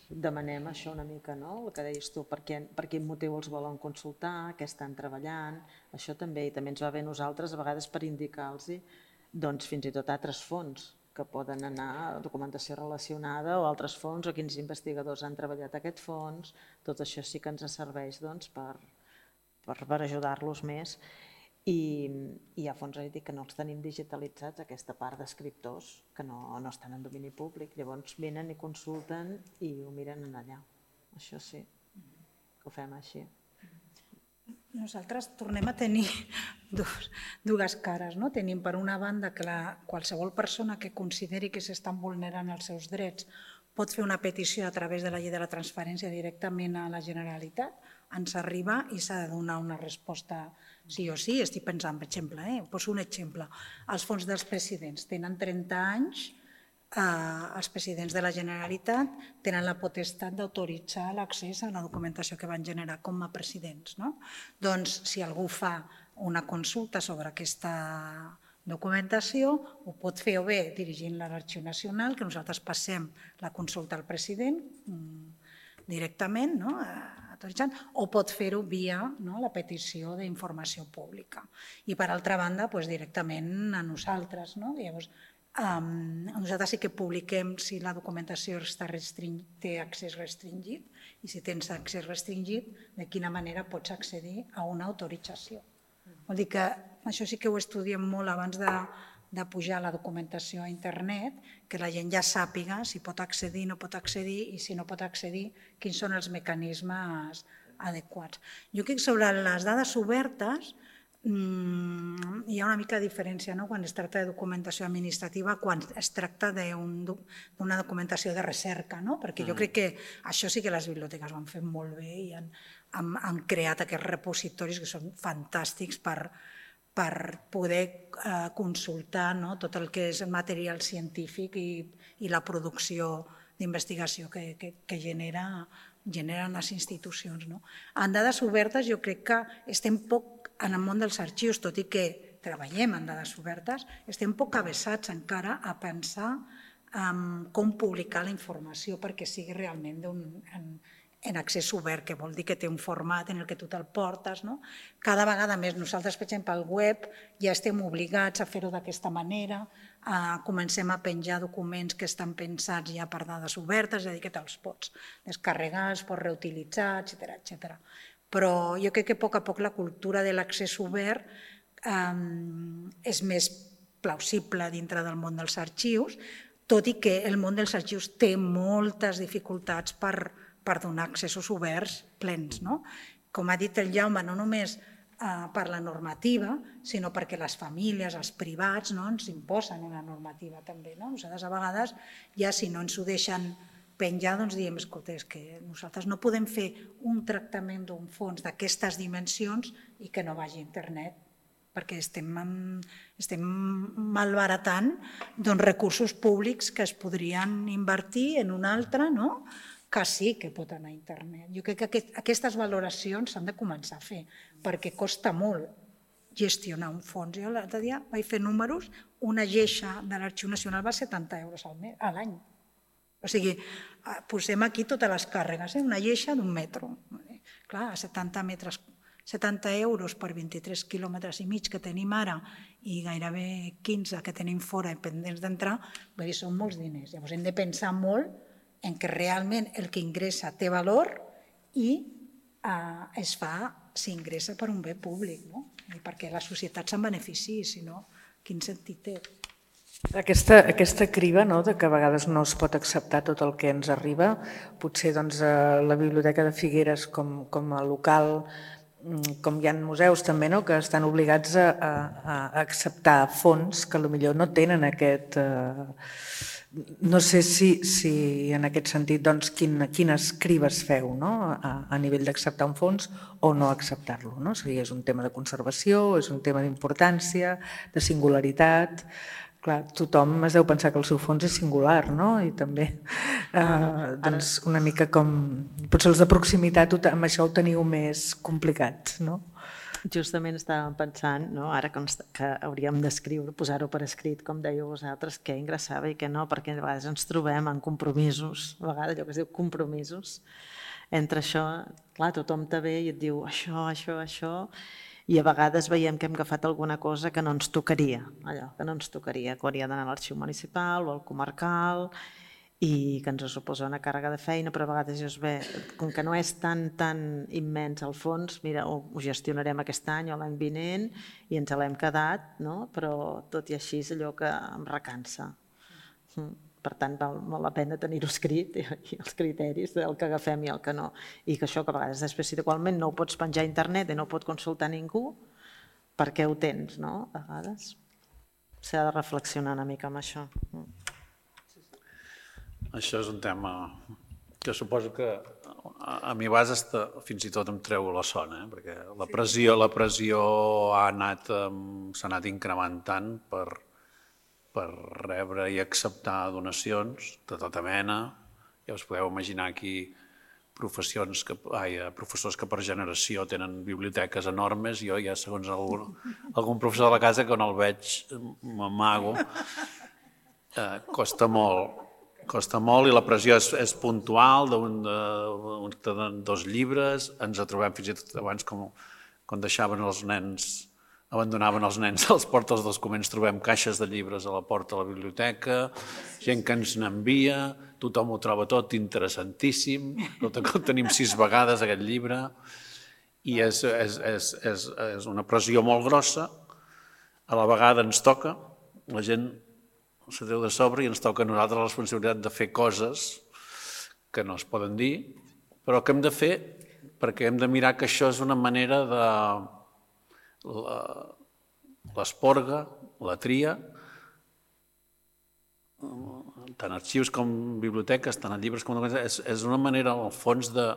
demanem això una mica, no? El que deies tu, per, què, per quin motiu els volen consultar, què estan treballant, això també, i també ens va bé nosaltres a vegades per indicar-los doncs, fins i tot altres fons que poden anar a documentació relacionada o altres fons o quins investigadors han treballat aquest fons. Tot això sí que ens serveix doncs, per, per, per ajudar-los més. I hi ha fons que no els tenim digitalitzats, aquesta part d'escriptors que no, no estan en domini públic. Llavors venen i consulten i ho miren allà. Això sí, que ho fem així. Nosaltres tornem a tenir dos, dues cares. No? Tenim per una banda que la, qualsevol persona que consideri que s'estan vulnerant els seus drets pot fer una petició a través de la llei de la transparència directament a la Generalitat, ens arriba i s'ha de donar una resposta sí o sí. Estic pensant, per exemple, eh? poso un exemple, els fons dels presidents tenen trenta anys, els presidents de la Generalitat tenen la potestat d'autoritzar l'accés a la documentació que van generar com a presidents. Doncs si algú fa una consulta sobre aquesta documentació, ho pot fer o bé dirigint-la a l'Arxiu Nacional, que nosaltres passem la consulta al president directament, autoritzant, o pot fer-ho via la petició d'informació pública. I per altra banda, directament a nosaltres. Llavors, nosaltres sí que publiquem si la documentació té accés restringit i si tens accés restringit, de quina manera pots accedir a una autorització. Vol dir que això sí que ho estudiem molt abans de pujar la documentació a internet, que la gent ja sàpiga si pot accedir, no pot accedir i si no pot accedir, quins són els mecanismes adequats. Jo crec que sobre les dades obertes hi ha una mica de diferència quan es tracta de documentació administrativa quan es tracta d'una documentació de recerca, perquè jo crec que això sí que les biblioteques ho han fet molt bé i han creat aquests repositoris que són fantàstics per poder consultar tot el que és material científic i la producció d'investigació que generen les institucions. En dades obertes jo crec que estem poc en el món dels arxius, tot i que treballem en dades obertes, estem poc avesats encara a pensar com publicar la informació perquè sigui realment en accés obert, que vol dir que té un format en el que tu te'l portes. Cada vegada més nosaltres, per exemple, al web ja estem obligats a fer-ho d'aquesta manera, comencem a penjar documents que estan pensats ja per dades obertes, és a dir, que te'ls pots descarregar, els pots reutilitzar, etcètera. Però jo crec que a poc a poc la cultura de l'accés obert és més plausible dintre del món dels arxius, tot i que el món dels arxius té moltes dificultats per donar accessos oberts plens. Com ha dit el Jaume, no només per la normativa, sinó perquè les famílies, els privats, ens imposen una normativa també. Nosaltres a vegades ja si no ens ho deixen penjar, doncs diem, escolta, és que nosaltres no podem fer un tractament d'un fons d'aquestes dimensions i que no vagi a internet, perquè estem malbaratant recursos públics que es podrien invertir en un altre, que sí que pot anar a internet. Jo crec que aquestes valoracions s'han de començar a fer, perquè costa molt gestionar un fons. Jo l'altre dia vaig fer números, una lleixa de l'Arxiu Nacional va setanta euros a l'any. O sigui, posem aquí totes les càrregues, una lleixa d'un metro. Clar, setanta metres, setanta euros per vint-i-tres quilòmetres i mig que tenim ara i gairebé quinze que tenim fora i pendents d'entrar, vull dir, són molts diners. Llavors hem de pensar molt en que realment el que ingressa té valor i es fa, s'ingressa per un bé públic, perquè la societat se'n beneficiï, si no, quin sentit té? Aquesta criba que a vegades no es pot acceptar tot el que ens arriba, potser la Biblioteca de Figueres com a local, com hi ha museus també, que estan obligats a acceptar fons que potser no tenen aquest... No sé si en aquest sentit quines cribes feu a nivell d'acceptar un fons o no acceptar-lo. Si és un tema de conservació, és un tema d'importància, de singularitat... Clar, tothom es deu pensar que el seu fons és singular, no? I també una mica com... Potser els de proximitat amb això ho teniu més complicat, no? Justament estàvem pensant, ara que hauríem d'escriure, posar-ho per escrit, com dèieu vosaltres, què ingressava i què no, perquè a vegades ens trobem en compromisos, a vegades allò que es diu compromisos. Entre això, clar, tothom te ve i et diu això, això, això... i a vegades veiem que hem agafat alguna cosa que no ens tocaria, allò que no ens tocaria, que hauria d'anar a l'arxiu municipal o al comarcal i que ens suposa una càrrega de feina, però a vegades dius, bé, com que no és tan tan immens al fons, mira, ho gestionarem aquest any o l'any vinent i ens l'hem quedat, però tot i així és allò que em recansa. Per tant, val molt la pena tenir-ho escrit i els criteris del que agafem i el que no. I que això que a vegades després igualment no ho pots penjar a internet i no ho pot consultar ningú, per què ho tens, no? A vegades s'ha de reflexionar una mica amb això. Això és un tema que suposo que a mi a vegades fins i tot em treu la son, perquè la pressió ha anat, s'ha anat incrementant per per rebre i acceptar donacions de tota mena. Ja us podeu imaginar aquí professions que, ai, professors que per generació tenen biblioteques enormes. Jo ja, segons algun, algun professor de la casa, que no el veig, m'amago. Eh, costa molt. Costa molt i la pressió és, és puntual, d'un de dos llibres. Ens trobem fins i tot abans, com, quan deixaven els nens, abandonaven els nens a les portes dels documents, trobem caixes de llibres a la porta de la biblioteca, gent que ens n'envia, tothom ho troba tot interessantíssim, tot ho tenim sis vegades aquest llibre, i és, és, és, és, és una pressió molt grossa. A la vegada ens toca, la gent se treu de sobre i ens toca a nosaltres la responsabilitat de fer coses que no es poden dir, però que hem de fer perquè hem de mirar que això és una manera de... l'esporga, la tria, tant arxius com biblioteques, tant llibres com... És, és una manera, al fons, de,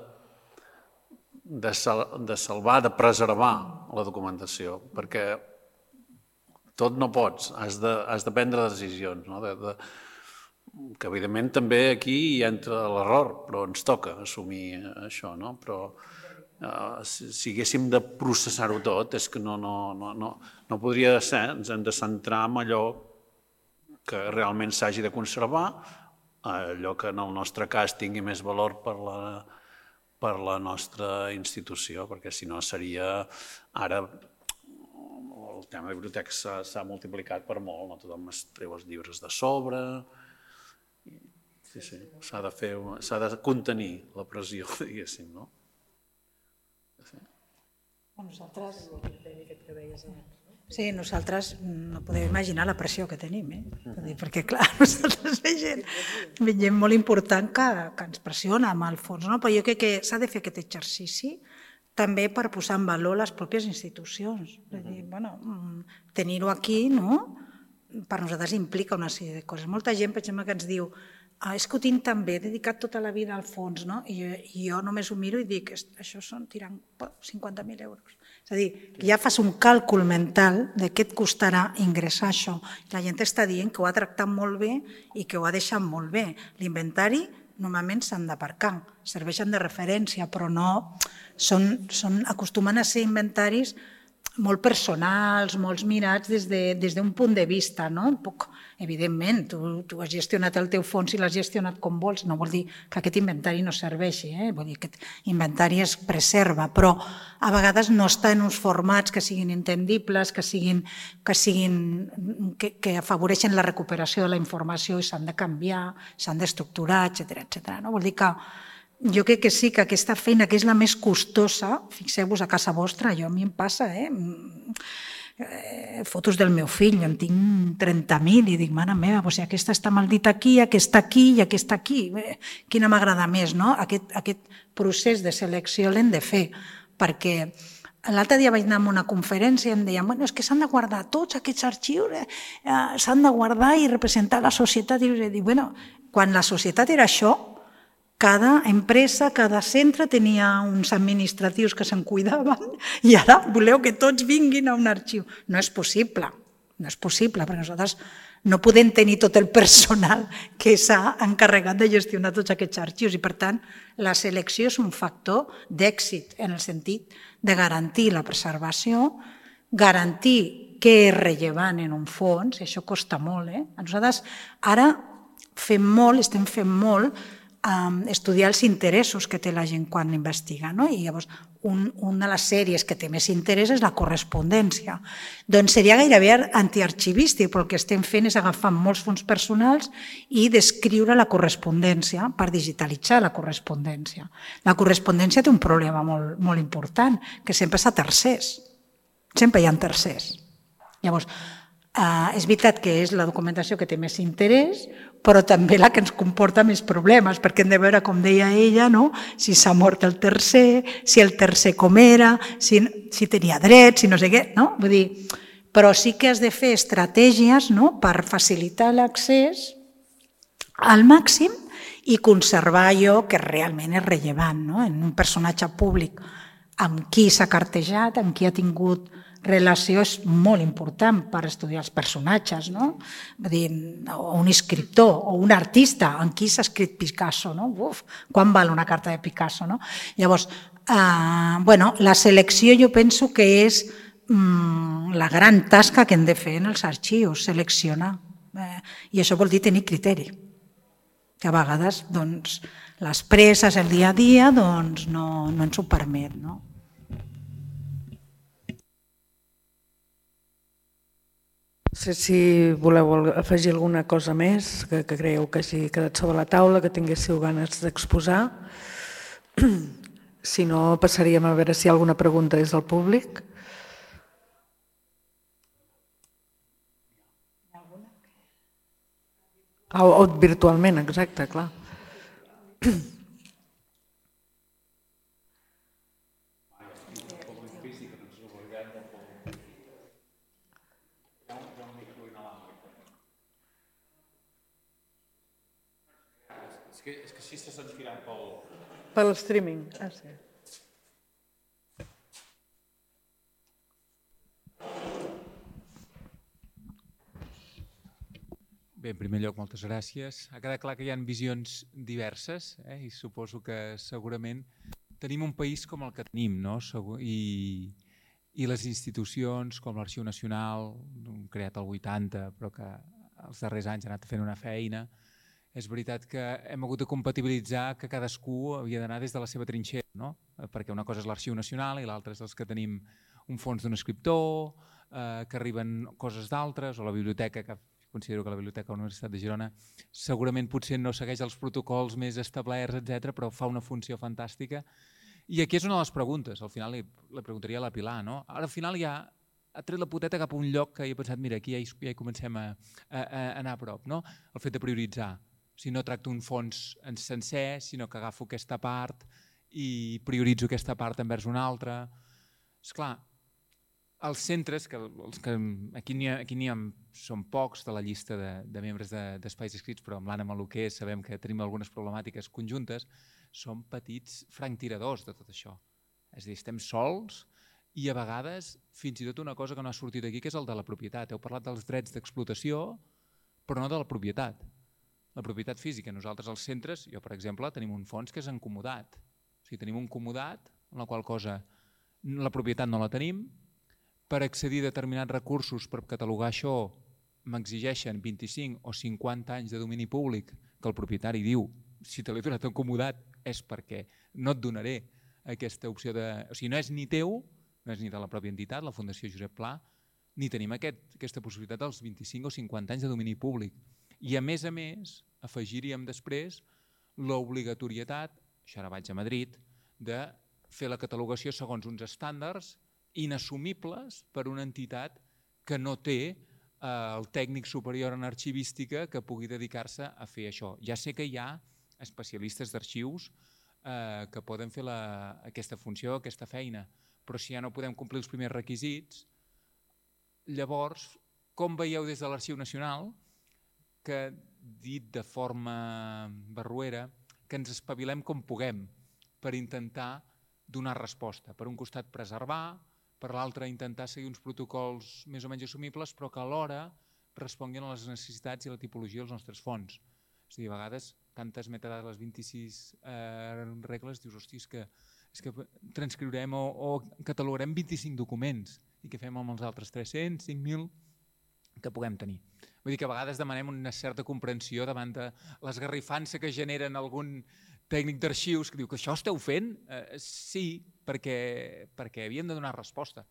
de, sal, de salvar, de preservar la documentació, perquè tot no pots, has de, has de prendre decisions, no? de, de, que evidentment també aquí hi entra l'error, però ens toca assumir això, no? Però uh, si, si haguéssim de processar-ho tot, és que no, no, no, no, no podria ser, ens hem de centrar en allò que realment s'hagi de conservar, allò que en el nostre cas tingui més valor per la, per la nostra institució, perquè si no seria ara... El tema de biblioteques s'ha multiplicat per molt, no? Tothom es treu els llibres de sobre, sí, sí, s'ha de fer, s'ha de contenir la pressió, diguéssim, no? Sí. Nosaltres... Sí, nosaltres no podeu imaginar la pressió que tenim, eh? Perquè, clar, nosaltres veiem, veiem molt important que, que ens pressiona amb el fons, no? Però jo crec que s'ha de fer aquest exercici també per posar en valor les pròpies institucions. És a dir, bueno, tenir-ho aquí, no? Per nosaltres implica una sèrie de coses. Molta gent, per exemple, que ens diu ah, és que ho tinc tan bé, he dedicat tota la vida al fons, no? I jo, i jo només ho miro i dic, això són tirant cinquanta mil euros. És a dir, ja fas un càlcul mental de què et costarà ingressar això. La gent està dient que ho ha tractat molt bé i que ho ha deixat molt bé. L'inventari normalment s'han d'aparcar, serveixen de referència, però no... Són, són, acostumen a ser inventaris molt personals, molt mirats des d'un de, punt de vista, no? Un poc, evidentment, tu, tu has gestionat el teu fons i l'has gestionat com vols, no vol dir que aquest inventari no serveixi, eh? Vull dir que aquest inventari es preserva, però a vegades no està en uns formats que siguin entendibles, que, siguin, que, siguin, que, que afavoreixen la recuperació de la informació i s'han de canviar, s'han d'estructurar, etcètera, etcètera. No? Vol dir que jo crec que sí, que aquesta feina, que és la més costosa, fixeu-vos a casa vostra, jo a mi em passa, eh? Fotos del meu fill, en tinc trenta mil i dic, mare meva, doncs aquesta està maldita aquí, aquesta aquí i aquesta aquí. Quina m'agrada més, no? Aquest, aquest procés de selecció l'hem de fer, perquè l'altre dia vaig anar a una conferència i em deien, bueno, és que s'han de guardar tots aquests arxius, eh, s'han de guardar i representar la societat. I dic, bueno, quan la societat era això, cada empresa, cada centre tenia uns administratius que se'n cuidaven i ara voleu que tots vinguin a un arxiu. No és possible, no és possible, perquè nosaltres no podem tenir tot el personal que s'ha encarregat de gestionar tots aquests arxius i, per tant, la selecció és un factor d'èxit en el sentit de garantir la preservació, garantir què és rellevant en un fons, i això costa molt. Eh? Nosaltres ara fem molt, estem fent molt, estudiar els interessos que té la gent quan investiga. No? I llavors, un, una de les sèries que té més interès és la correspondència. Doncs seria gairebé antiarxivístic, però el que estem fent és agafar molts fons personals i descriure la correspondència per digitalitzar la correspondència. La correspondència té un problema molt, molt important, que sempre és a tercers. Sempre hi ha tercers. Llavors, Uh, és veritat que és la documentació que té més interès, però també la que ens comporta més problemes, perquè hem de veure, com deia ella, no? Si s'ha mort el tercer, si el tercer com era, si, si tenia dret, si no sé què, no? Vull dir, però sí que has de fer estratègies, no? Per facilitar l'accés al màxim i conservar allò que realment és rellevant, no? En un personatge públic amb qui s'ha cartejat, amb qui ha tingut relació és molt important per estudiar els personatges, no? Vull dir, o un escriptor o un artista, en qui s'ha escrit Picasso, no? Uf, quan val una carta de Picasso, no? Llavors, eh, bueno, la selecció jo penso que és mm, la gran tasca que hem de fer en els arxius, seleccionar. Eh, I això vol dir tenir criteri, que a vegades doncs, les presses, el dia a dia, doncs, no, no ens ho permet, no? No sé si voleu afegir alguna cosa més que, que creieu que hagi quedat sobre la taula, que tinguéssiu ganes d'exposar. Si no, passaríem a veure si hi ha alguna pregunta des del públic. O, o virtualment, exacte, clar. És que així se sentiran pel... Pel streaming, ah sí. Bé, en primer lloc, moltes gràcies. Ha quedat clar que hi ha visions diverses, eh? I suposo que segurament tenim un país com el que tenim, no? I, i les institucions com l'Arxiu Nacional, creat al vuitanta, però que els darrers anys ha anat fent una feina. És veritat que hem hagut de compatibilitzar que cadascú havia d'anar des de la seva trinxera, no? Perquè una cosa és l'Arxiu Nacional i l'altra és els que tenim un fons d'un escriptor, eh, que arriben coses d'altres, o la biblioteca, que considero que la Biblioteca de la Universitat de Girona segurament potser no segueix els protocols més establerts, etcètera, però fa una funció fantàstica. I aquí és una de les preguntes, al final li, li preguntaria a la Pilar, no? Ara al final ja ha tret la poteta cap a un lloc que he pensat, mira, aquí ja hi, ja hi comencem a, a, a anar a prop, no? El fet de prioritzar. Si no tracto un fons en sencer, sinó que agafo aquesta part i prioritzo aquesta part envers una altra. Esclar, els centres, que, els que aquí n'hi ha, aquí n'hi ha, són pocs de la llista de, de membres d'espais de, escrits, però amb l'Anna Maluquer sabem que tenim algunes problemàtiques conjuntes, són petits franctiradors de tot això. És a dir, estem sols i a vegades fins i tot una cosa que no ha sortit aquí, que és el de la propietat. Heu parlat dels drets d'explotació, però no de la propietat. La propietat física. Nosaltres als centres, jo per exemple, tenim un fons que és encomodat. O sigui, tenim un comodat en la qual cosa la propietat no la tenim. Per accedir a determinats recursos per catalogar això m'exigeixen vint-i-cinc o cinquanta anys de domini públic que el propietari diu si te l'he donat encomodat és perquè no et donaré aquesta opció de... O sigui, no és ni teu, no és ni de la pròpia entitat, la Fundació Josep Pla, ni tenim aquest, aquesta possibilitat dels vint-i-cinc o cinquanta anys de domini públic. I a més a més afegiríem després l'obligatorietat, això ara vaig a Madrid, de fer la catalogació segons uns estàndards inassumibles per una entitat que no té eh, el tècnic superior en arxivística que pugui dedicar-se a fer això. Ja sé que hi ha especialistes d'arxius eh, que poden fer la, aquesta funció, aquesta feina, però si ja no podem complir els primers requisits, llavors, com veieu des de l'Arxiu Nacional, que dit de forma barruera, que ens espavilem com puguem per intentar donar resposta. Per un costat preservar, per l'altre intentar seguir uns protocols més o menys assumibles, però que alhora responguin a les necessitats i la tipologia dels nostres fons. És a dir, a vegades, tantes metadades, les vint-i-sis eh, regles, dius, hosti, és que, és que transcriurem o, o catalogarem vint-i-cinc documents i què fem amb els altres tres-cents, cinc mil que puguem tenir. Vull dir que a vegades demanem una certa comprensió davant de l'esgarrifança que generen algun tècnic d'arxius que diu que això esteu fent? Eh, sí, perquè, perquè havíem de donar resposta.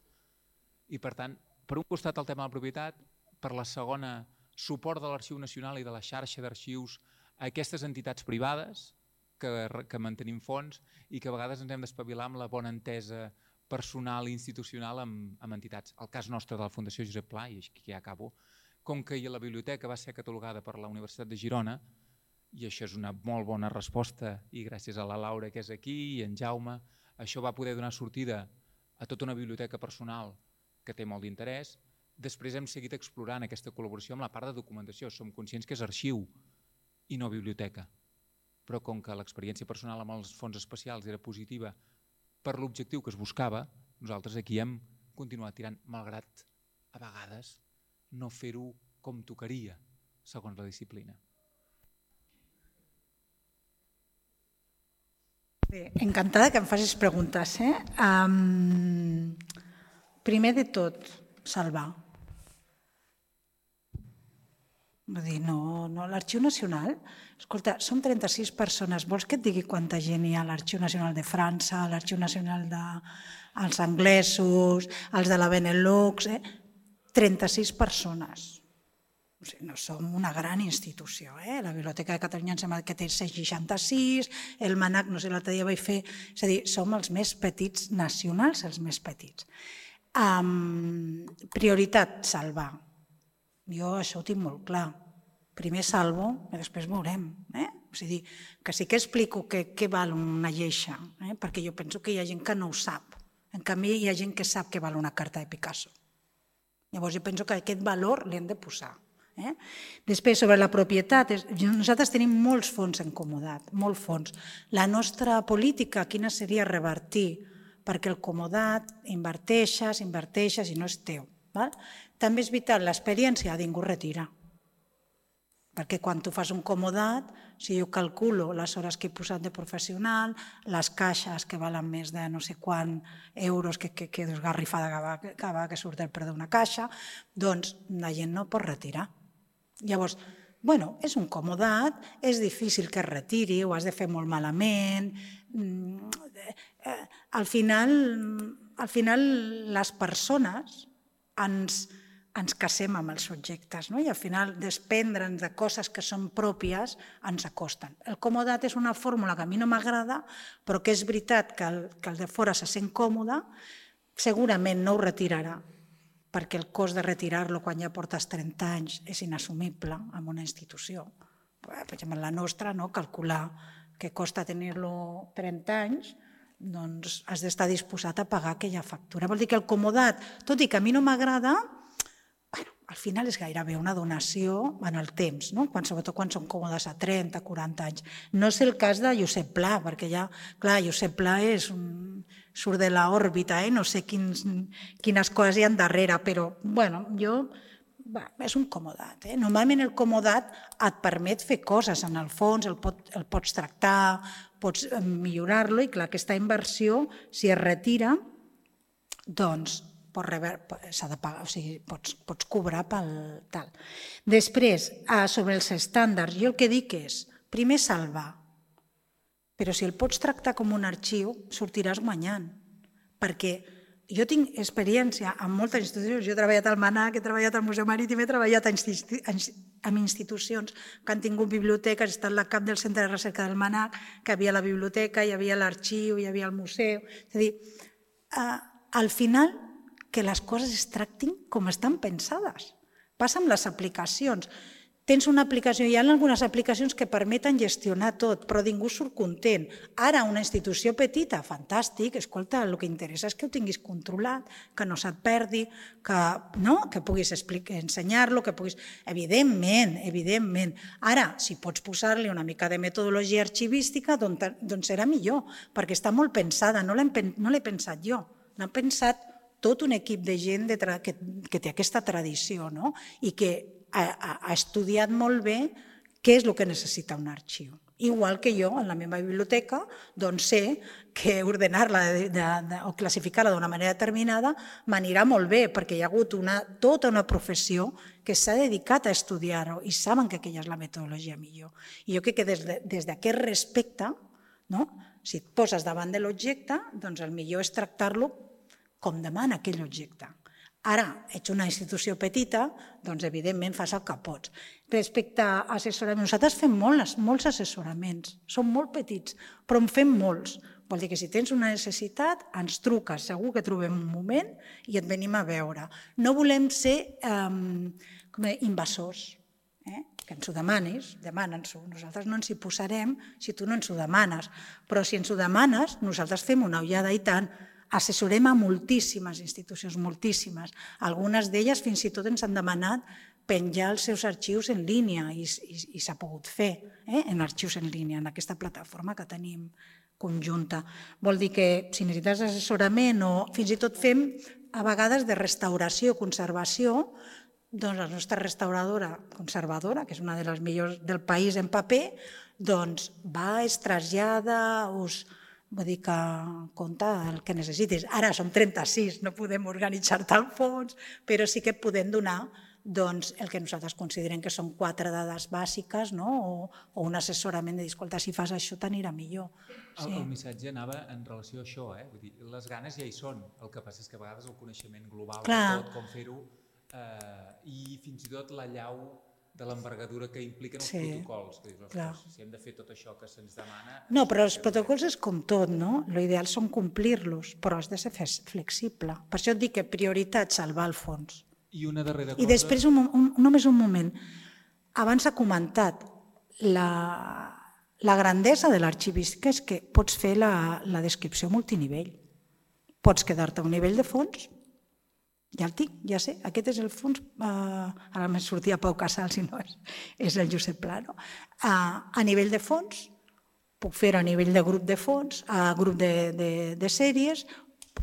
I per tant, per un costat el tema de la propietat, per la segona, suport de l'Arxiu Nacional i de la xarxa d'arxius a aquestes entitats privades que, que mantenim fons i que a vegades ens hem d'espavilar amb la bona entesa personal i institucional amb, amb entitats. El cas nostre de la Fundació Josep Pla, i aquí ja acabo, com que la biblioteca va ser catalogada per la Universitat de Girona, i això és una molt bona resposta, i gràcies a la Laura que és aquí i en Jaume, això va poder donar sortida a tota una biblioteca personal que té molt d'interès. Després hem seguit explorant aquesta col·laboració amb la part de documentació. Som conscients que és arxiu i no biblioteca. Però com que l'experiència personal amb els fons especials era positiva per l'objectiu que es buscava, nosaltres aquí hem continuar tirant, malgrat a vegades no fer-ho com tocaria, segons la disciplina. Bé, encantada que em facis preguntes. Eh? Um, primer de tot, salvar. Vull dir, no, no, l'Arxiu Nacional, escolta, som trenta-sis persones, vols que et digui quanta gent hi ha a l'Arxiu Nacional de França, a l'Arxiu Nacional dels anglesos, els de la Benelux, eh? trenta-sis persones. O sigui, no som una gran institució. Eh? La Biblioteca de Catalunya em sembla que té cent seixanta-sis, el MANAC, no sé, l'altre dia vaig fer... És a dir, som els més petits nacionals, els més petits. Um, prioritat, salvar. Jo això ho tinc molt clar. Primer salvo i després veurem. Eh? O sigui, que sí que explico què, què val una lleixa, eh? perquè jo penso que hi ha gent que no ho sap. En canvi, hi ha gent que sap què val una carta de Picasso. Llavors, jo penso que aquest valor l'hem de posar. Eh? Després, sobre la propietat, nosaltres tenim molts fons en comodat, molts fons. La nostra política, quina seria revertir? Perquè el comodat inverteixes, inverteixes i no és teu. Val? També és vital, l'experiència a ningú retira. Perquè quan tu fas un comodat, si jo calculo les hores que he posat de professional, les caixes que valen més de no sé quant euros que, que, que desgarrifada que va, que, va, que surt del preu d'una caixa, doncs la gent no pot retirar. Llavors, bueno, és un comodat, és difícil que es retiri, ho has de fer molt malament. Al final, al final les persones ens, ens casem amb els objectes, no? I al final desprendre'ns de coses que són pròpies ens acosten. El comodat és una fórmula que a mi no m'agrada, però que és veritat que el, que el de fora se sent còmode, segurament no ho retirarà, perquè el cost de retirar-lo quan ja portes trenta anys és inassumible en una institució. Per exemple, la nostra, no? Calcular què costa tenir-lo trenta anys, doncs has d'estar disposat a pagar aquella factura. Vol dir que el comodat, tot i que a mi no m'agrada, bueno, al final és gairebé una donació en el temps, no? Quan, sobretot quan són còmodes a trenta, quaranta anys. No és el cas de Josep Pla, perquè ja, clar, Josep Pla és un... surt de l'òrbita, eh? No sé quins, quines coses hi ha darrere, però, bueno, jo... Va, és un comodat. Eh? Normalment el comodat et permet fer coses en el fons, el, pot, el pots tractar, pots millorar-lo i clar, aquesta inversió, si es retira, doncs s'ha de pagar, o sigui, pots, pots cobrar pel tal. Després, sobre els estàndards, jo el que dic és, primer salvar, però si el pots tractar com un arxiu, sortiràs guanyant, perquè jo tinc experiència en moltes institucions, jo he treballat al MANAC, he treballat al Museu Marítim, he treballat en institucions que han tingut biblioteques, he estat la cap del centre de recerca del MANAC, que hi havia la biblioteca, hi havia l'arxiu, hi havia el museu. És a dir, al final, que les coses es tractin com estan pensades. Passa amb les aplicacions. Tens una aplicació, hi ha algunes aplicacions que permeten gestionar tot, però ningú surt content. Ara, una institució petita, fantàstic, escolta, el que interessa és que ho tinguis controlat, que no se't perdi, que, no? que puguis ensenyar-lo, que puguis... Evidentment, evidentment. Ara, si pots posar-li una mica de metodologia arxivística, doncs, doncs serà millor, perquè està molt pensada, no l'he pensat jo, l'ha pensat tot un equip de gent de que, que té aquesta tradició, no? I que ha, ha estudiat molt bé què és el que necessita un arxiu. Igual que jo, en la meva biblioteca, doncs sé que ordenar-la o classificar-la d'una manera determinada m'anirà molt bé, perquè hi ha hagut una, tota una professió que s'ha dedicat a estudiar-ho i saben que aquella és la metodologia millor. I jo crec que des, de, des d'aquest respecte, no? Si et poses davant de l'objecte, doncs el millor és tractar-lo com demana aquell objecte. Ara, ets una institució petita, doncs evidentment fas el que pots. Respecte a assessorament, nosaltres fem molts, molts assessoraments, som molt petits, però en fem molts. Vol dir que si tens una necessitat, ens truques, segur que trobem un moment i et venim a veure. No volem ser eh, invasors, eh? Que ens ho demanis, demana'ns-ho. Nosaltres no ens hi posarem si tu no ens ho demanes, però si ens ho demanes, nosaltres fem una ullada i tant. Assessorem a moltíssimes institucions, moltíssimes. Algunes d'elles fins i tot ens han demanat penjar els seus arxius en línia i, i, i s'ha pogut fer eh? en arxius en línia, en aquesta plataforma que tenim conjunta. Vol dir que si necessites assessorament o fins i tot fem a vegades de restauració i conservació, doncs la nostra restauradora conservadora, que és una de les millors del país en paper, doncs va, es trasllada, us... Vull dir que compta el que necessitis. Ara som trenta-sis, no podem organitzar tant fons, però sí que podem donar doncs, el que nosaltres considerem que són quatre dades bàsiques, no? o, o un assessorament de dir, escolta, si fas això t'anirà millor. Sí. El, el missatge anava en relació a això, eh? Vull dir, les ganes ja hi són, el que passa és que a vegades el coneixement global de tot, com fer-ho, eh, i fins i tot la llau de l'envergadura que impliquen els sí, protocols. Que dius, ostres, si hem de fer tot això que se'ns demana... No, però els protocols és com tot, no? L'ideal són complir-los, però has de ser flexible. Per això et dic que prioritat salvar el fons. I una darrera cosa... I després, un, un, només un moment. Abans ha comentat la, la grandesa de l'arxivística és que pots fer la, la descripció multinivell. Pots quedar-te a un nivell de fons. Ja el tinc, ja sé, aquest és el fons, uh, ara me sortia Pau Casals si no és, és el Josep Pla, no? Uh, a nivell de fons, puc fer a nivell de grup de fons, a grup de, de, de sèries,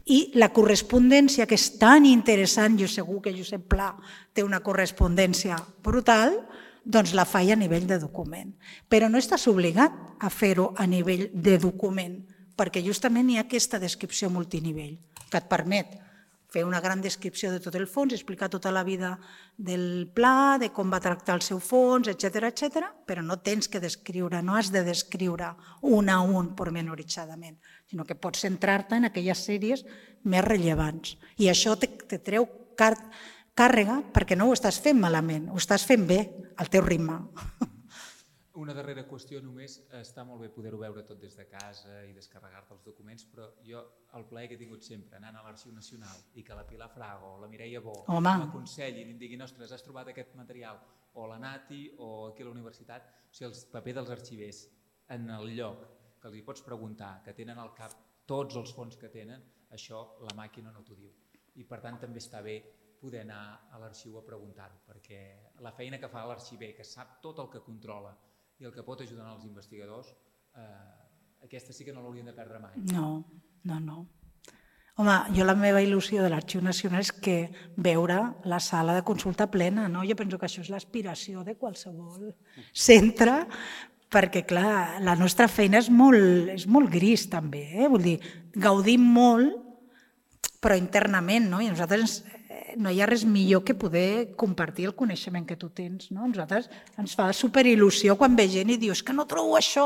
i la correspondència, que és tan interessant, jo segur que Josep Pla té una correspondència brutal, doncs la faig a nivell de document. Però no estàs obligat a fer-ho a nivell de document, perquè justament hi ha aquesta descripció multinivell, que et permet fer una gran descripció de tot el fons, explicar tota la vida del pla, de com va tractar el seu fons, etcètera, etcètera, però no tens que descriure, no has de descriure un a un pormenoritzadament, sinó que pots centrar-te en aquelles sèries més rellevants. I això te, te treu car càrrega perquè no ho estàs fent malament, ho estàs fent bé, al teu ritme. Una darrera qüestió només, està molt bé poder-ho veure tot des de casa i descarregar-te els documents, però jo el plaer que he tingut sempre anant a l'Arxiu Nacional i que la Pilar Frago o la Mireia Bo m'aconsellin i em diguin, ostres, has trobat aquest material, o la Nati o aquí a la universitat, o sigui, el paper dels arxivers en el lloc que els hi pots preguntar, que tenen al cap tots els fons que tenen, això la màquina no t'ho diu. I per tant també està bé poder anar a l'arxiu a preguntar-ho, perquè la feina que fa l'arxiver, que sap tot el que controla i el que pot ajudar els investigadors, eh, aquesta sí que no l'haurien de perdre mai. No, no, no. Home, jo la meva il·lusió de l'Arxiu Nacional és que veure la sala de consulta plena, no? Jo penso que això és l'aspiració de qualsevol centre, perquè, clar, la nostra feina és molt, és molt gris, també, eh? Vull dir, gaudim molt, però internament, no? I a nosaltres no hi ha res millor que poder compartir el coneixement que tu tens. No? A nosaltres ens fa superil·lusió quan ve gent i dius que no trobo això.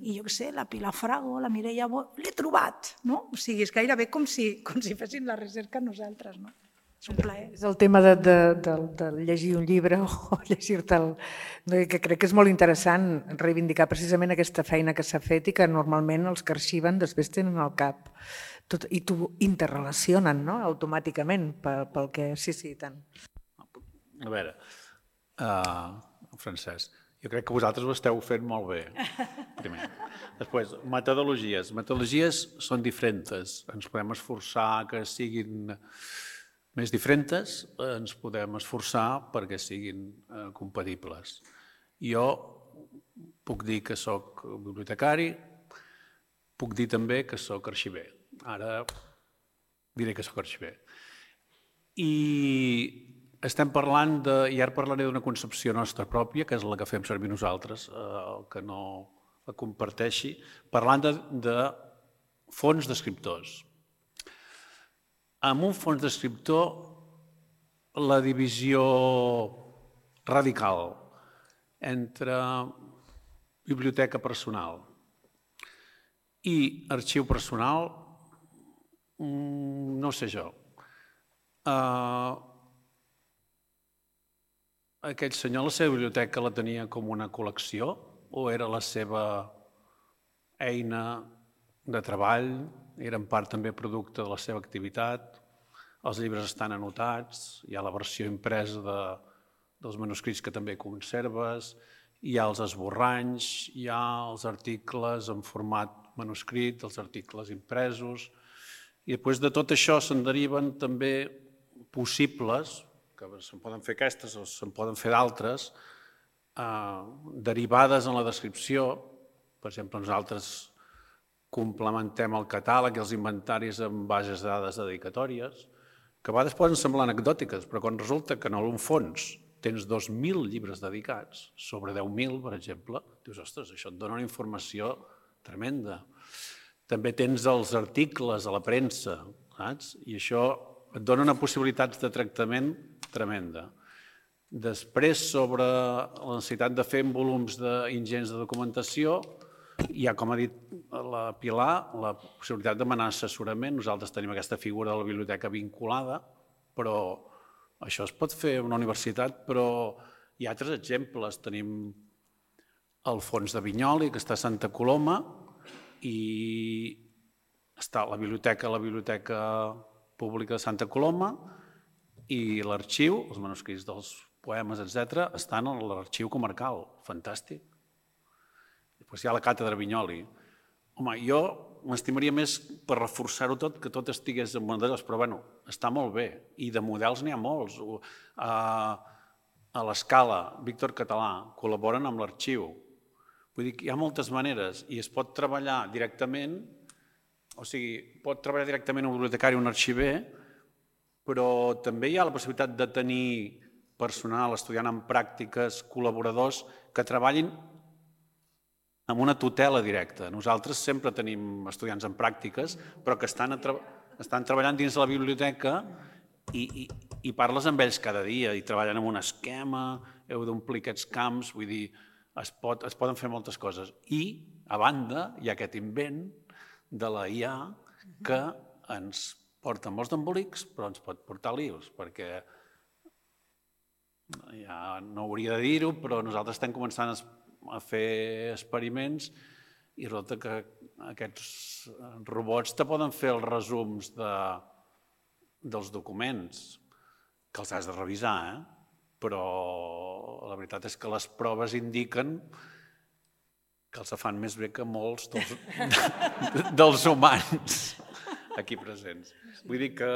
I jo què sé, la Pilar Frago, la Mireia Bo, l'he trobat. No? O sigui, és gairebé com si, com si fessin la recerca nosaltres. No? És un plaer. És el tema de, de, de, de llegir un llibre o llegir-te'l, que crec que és molt interessant reivindicar precisament aquesta feina que s'ha fet i que normalment els que arxiven després tenen al cap. Tot, i t'ho interrelacionen, no?, automàticament, pel, pel que... Sí, sí, tant. A veure, uh, Francesc, jo crec que vosaltres ho esteu fent molt bé, primer. Després, metodologies. Metodologies són diferents. Ens podem esforçar que siguin més diferents, ens podem esforçar perquè siguin uh, compatibles. Jo puc dir que soc bibliotecari, puc dir també que soc arxiver. Ara diré que soc arxiver. I estem parlant de, i ara parlaré d'una concepció nostra pròpia, que és la que fem servir nosaltres, el que no la comparteixi, parlant de, de fons d'escriptors. En un fons d'escriptor, la divisió radical entre biblioteca personal i arxiu personal, no sé jo. Uh, aquell senyor, la seva biblioteca la tenia com una col·lecció o era la seva eina de treball, era en part també producte de la seva activitat, els llibres estan anotats, hi ha la versió impresa de, dels manuscrits que també conserves, hi ha els esborranys, hi ha els articles en format manuscrit, els articles impresos, i després de tot això se'n deriven també possibles, que se'n poden fer aquestes o se'n poden fer d'altres, eh, derivades en la descripció. Per exemple, nosaltres complementem el catàleg i els inventaris amb bases de dades dedicatòries que a vegades poden semblar anecdòtiques, però quan resulta que en un fons tens dos mil llibres dedicats, sobre deu mil, per exemple, dius, ostres, això et dona una informació tremenda. També tens els articles a la premsa, saps? I això et dona una possibilitat de tractament tremenda. Després, sobre la necessitat de fer volums ingents de documentació, hi ha, com ha dit la Pilar, la possibilitat de demanar assessorament. Nosaltres tenim aquesta figura de la biblioteca vinculada, però això es pot fer a una universitat, però hi ha altres exemples. Tenim el Fons de Vinyoli, que està a Santa Coloma, i està la biblioteca, la biblioteca pública de Santa Coloma, i l'arxiu, els manuscrits dels poemes, etcètera, estan a l'arxiu comarcal. Fantàstic. Després hi ha la càtedra Vinyoli. Home, jo m'estimaria més per reforçar-ho tot, que tot estigués en models, però bueno, està molt bé. I de models n'hi ha molts. A l'Escala, Víctor Català, col·laboren amb l'arxiu. Vull dir que hi ha moltes maneres i es pot treballar directament, o sigui, pot treballar directament un bibliotecari o un arxiver, però també hi ha la possibilitat de tenir personal estudiant en pràctiques, col·laboradors que treballin amb una tutela directa. Nosaltres sempre tenim estudiants en pràctiques, però que estan, estan treballant dins de la biblioteca i, i, i parles amb ells cada dia i treballen amb un esquema, heu d'omplir aquests camps, vull dir, es, pot, es poden fer moltes coses. I, a banda, hi ha aquest invent de la I A que ens porta molts d'embolics, però ens pot portar lius, perquè ja no hauria de dir-ho, però nosaltres estem començant a a fer experiments i resulta que aquests robots te poden fer els resums dels documents, que els has de revisar, però la veritat és que les proves indiquen que els fan més bé que molts dels humans aquí presents. Vull dir que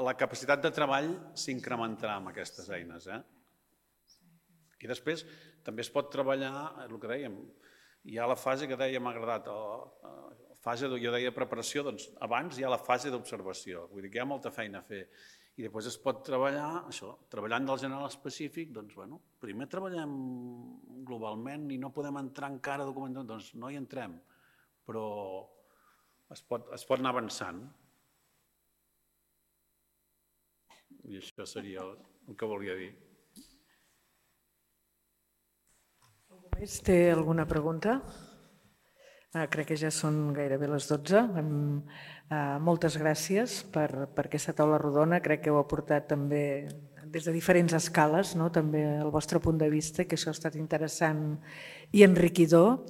la capacitat de treball s'incrementarà amb aquestes eines. I després també es pot treballar, el que dèiem, hi ha la fase que deia, m'ha agradat, la fase, jo deia preparació, doncs abans hi ha la fase d'observació, vull dir que hi ha molta feina a fer. I després es pot treballar, això, treballant del general específic, doncs, bueno, primer treballem globalment i no podem entrar encara a documentar, doncs no hi entrem, però es pot, es pot anar avançant. I això seria el que volia dir. Més té alguna pregunta? Ah, crec que ja són gairebé les dotze. Ah, moltes gràcies per, per aquesta taula rodona. Crec que heu aportat també des de diferents escales, no? També el vostre punt de vista, que això ha estat interessant i enriquidor.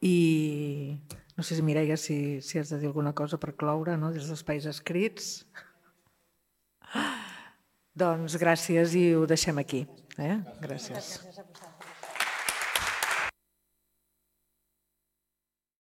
I no sé si Mireia, si, si has de dir alguna cosa per cloure, no? Des d'Espais Escrits. Doncs gràcies i ho deixem aquí. Eh? Gràcies. Gràcies a vosaltres.